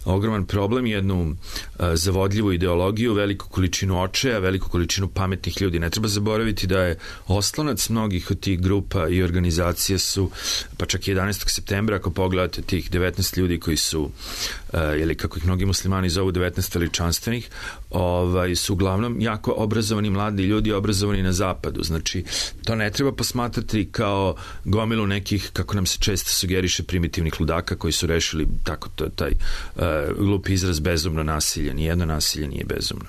ogroman problem, jednu uh, zavodljivu ideologiju, veliku količinu očaja, veliku količinu pametnih ljudi. Ne treba zaboraviti da je oslonac mnogih od tih grupa i organizacija su, pa čak jedanaestog septembra, ako pogledate tih devetnaest ljudi koji su, uh, ili kako ih mnogi muslimani zovu devetnaest veličanstvenih, ovaj, su uglavnom jako obrazovani mladi ljudi, obrazovani na zapadu. Znači, to ne treba posmatrati kao gomilu nekih, kako nam se često sugeriše, primitivnih ludaka koji su rešili tako to, taj uh, glupi izraz bezumno nasilje. Nijedno nasilje nije bezumno.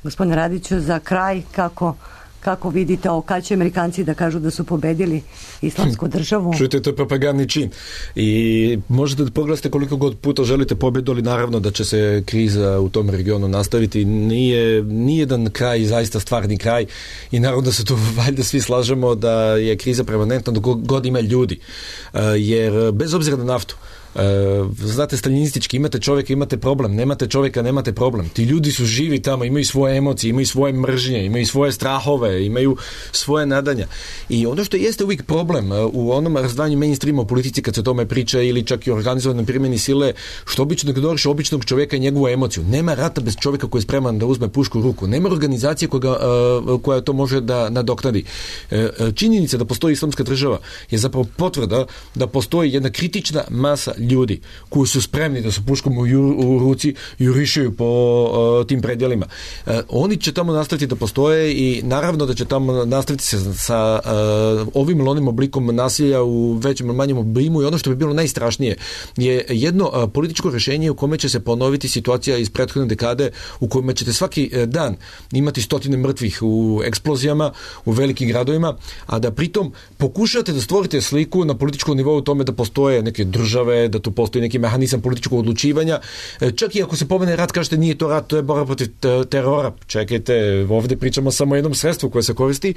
Gospodine Radiću, za kraj, kako kako vidite ovo, kad će Amerikanci da kažu da su pobedili islamsku državu? Čujte, to je propagandni čin. I možete da pogledate koliko god puta želite pobedu, ali naravno da će se kriza u tom regionu nastaviti. Nije nijedan kraj zaista stvarni kraj i naravno da se tu valjda svi slažemo da je kriza permanentna dok god ima ljudi. Jer bez obzira na naftu, znate, staljinistički, imate čovjeka, imate problem, nemate čovjeka, nemate problem. Ti ljudi su živi tamo, imaju svoje emocije, imaju svoje mržnje, imaju svoje strahove, imaju svoje nadanja. I ono što jeste uvijek problem u onom razdvajanju mainstreama u politici kad se o tome priča ili čak i organizovanoj primjeni sile, što obično govoriš običnog čovjeka i njegovu emociju. Nema rata bez čovjeka koji je spreman da uzme pušku u ruku. Nema organizacije koja, koja to može da nadoknadi. Činjenica da postoji islamska država je zapravo potvrda da postoji jedna kritična masa ljudi koji su spremni da su puškom u, ju, u ruci jurišaju po uh, tim predjelima. Uh, oni će tamo nastaviti da postoje i naravno da će tamo nastaviti se sa uh, ovim ili onim oblikom nasilja u većem ili manjem obimu i ono što bi bilo najstrašnije je jedno uh, političko rješenje u kome će se ponoviti situacija iz prethodne dekade u kojima ćete svaki uh, dan imati stotine mrtvih u eksplozijama u velikim gradovima, a da pritom pokušate da stvorite sliku na političkom nivou u tome da postoje neke države, da tu postoji neki mehanizam političkog odlučivanja. Čak i ako se pomene rat, kažete nije to rat, to je borba protiv terora. Čekajte, ovdje pričamo samo o jednom sredstvu koje se koristi,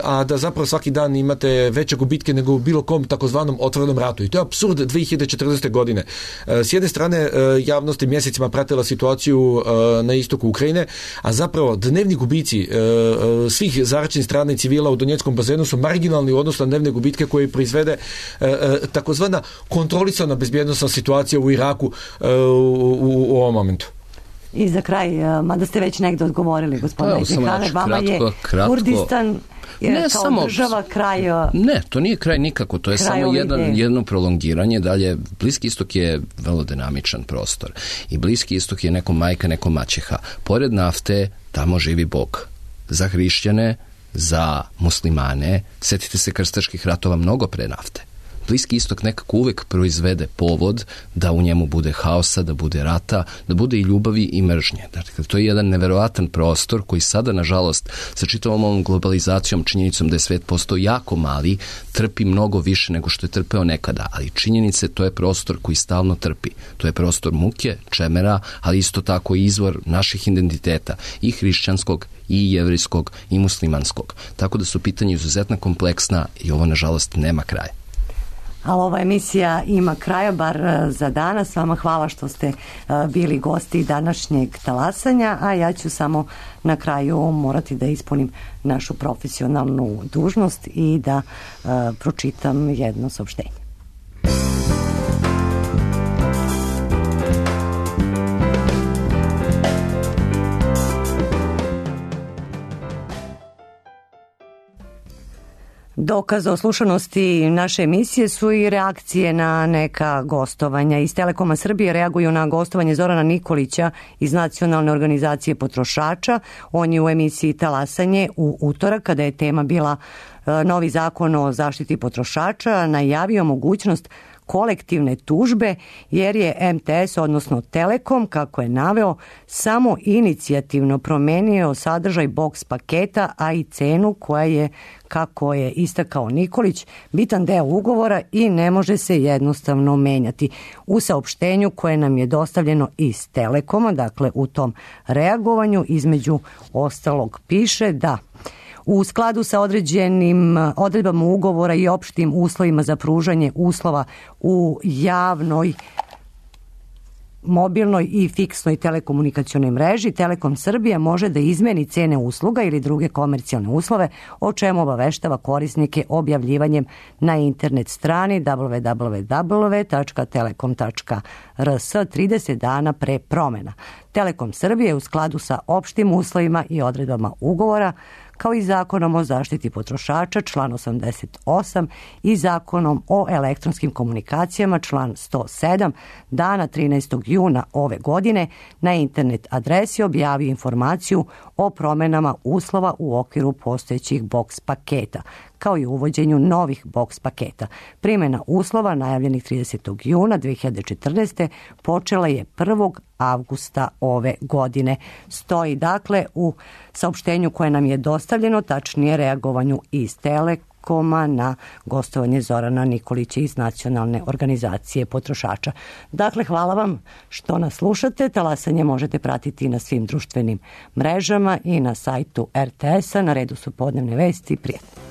a da zapravo svaki dan imate veće gubitke nego u bilo kom takozvanom otvorenom ratu. I to je apsurd dvije hiljade četrnaeste. godine. S jedne strane, javnost je mjesecima pratila situaciju na istoku Ukrajine, a zapravo dnevni gubici svih zaračenih strana i civila u Donjeckom bazenu su marginalni u odnosu na dnevne gubitke koje proizvede takozvana kontrolisana bezbjednostna situacija u Iraku uh, u, u ovom momentu. I za kraj, mada ste već negdje odgovorili, gospodine Đihane, vama kratko, je kratko. Kurdistan je ne, kao samo, država kraj... Ne, to nije kraj nikako, to je samo jedan, jedno prolongiranje. Dalje, Bliski istok je vrlo dinamičan prostor i Bliski istok je neko majka, neko maćeha. Pored nafte, tamo živi Bog. Za hrišćane, za muslimane, sjetite se krstaških ratova mnogo pre nafte. Bliski istok nekako uvek proizvede povod da u njemu bude haosa, da bude rata, da bude i ljubavi i mržnje. Dakle, to je jedan neverovatan prostor koji sada, nažalost, sa čitavom ovom globalizacijom, činjenicom da je svet postao jako mali, trpi mnogo više nego što je trpeo nekada. Ali činjenice, to je prostor koji stalno trpi. To je prostor muke, čemera, ali isto tako i izvor naših identiteta, i hrišćanskog, i jevrijskog, i muslimanskog. Tako da su pitanja izuzetno kompleksna i ovo, nažalost, nema kraja. Ali ova emisija ima kraja, bar za danas. Vama hvala što ste bili gosti današnjeg talasanja, a ja ću samo na kraju morati da ispunim našu profesionalnu dužnost i da uh, pročitam jedno saopštenje. Dokaz o slušanosti naše emisije su i reakcije na neka gostovanja. Iz Telekoma Srbije reaguju na gostovanje Zorana Nikolića iz Nacionalne organizacije potrošača. On je u emisiji Talasanje u utorak, kada je tema bila novi zakon o zaštiti potrošača, najavio mogućnost kolektivne tužbe, jer je em te es, odnosno Telekom, kako je naveo, samo inicijativno promenio sadržaj boks paketa, a i cenu koja je, kako je istakao Nikolić, bitan deo ugovora i ne može se jednostavno menjati. U saopštenju koje nam je dostavljeno iz Telekoma, dakle u tom reagovanju, između ostalog piše da U skladu sa određenim odredbama ugovora i opštim uslovima za pružanje uslova u javnoj mobilnoj i fiksnoj telekomunikacionoj mreži, Telekom Srbija može da izmeni cene usluga ili druge komercijalne uslove, o čemu obaveštava korisnike objavljivanjem na internet strani w w w tačka telekom tačka r s trideset dana pre promena. Telekom Srbije u skladu sa opštim uslovima i odredbama ugovora, kao i Zakonom o zaštiti potrošača, član osamdeset osam, i Zakonom o elektronskim komunikacijama, član sto sedam, dana trinaestog juna ove godine na internet adresi objavio informaciju o promenama uslova u okviru postojećih boks paketa, kao i uvođenju novih boks paketa. Primjena uslova najavljenih tridesetog juna dve hiljade četrnaeste. počela je prvog avgusta ove godine. Stoji dakle u saopštenju koje nam je dostavljeno, tačnije reagovanju iz Telekoma na gostovanje Zorana Nikolića iz Nacionalne organizacije potrošača. Dakle, hvala vam što nas slušate. Talasanje možete pratiti na svim društvenim mrežama i na sajtu er te es a. Na redu su podnevne vesti. Prijatno.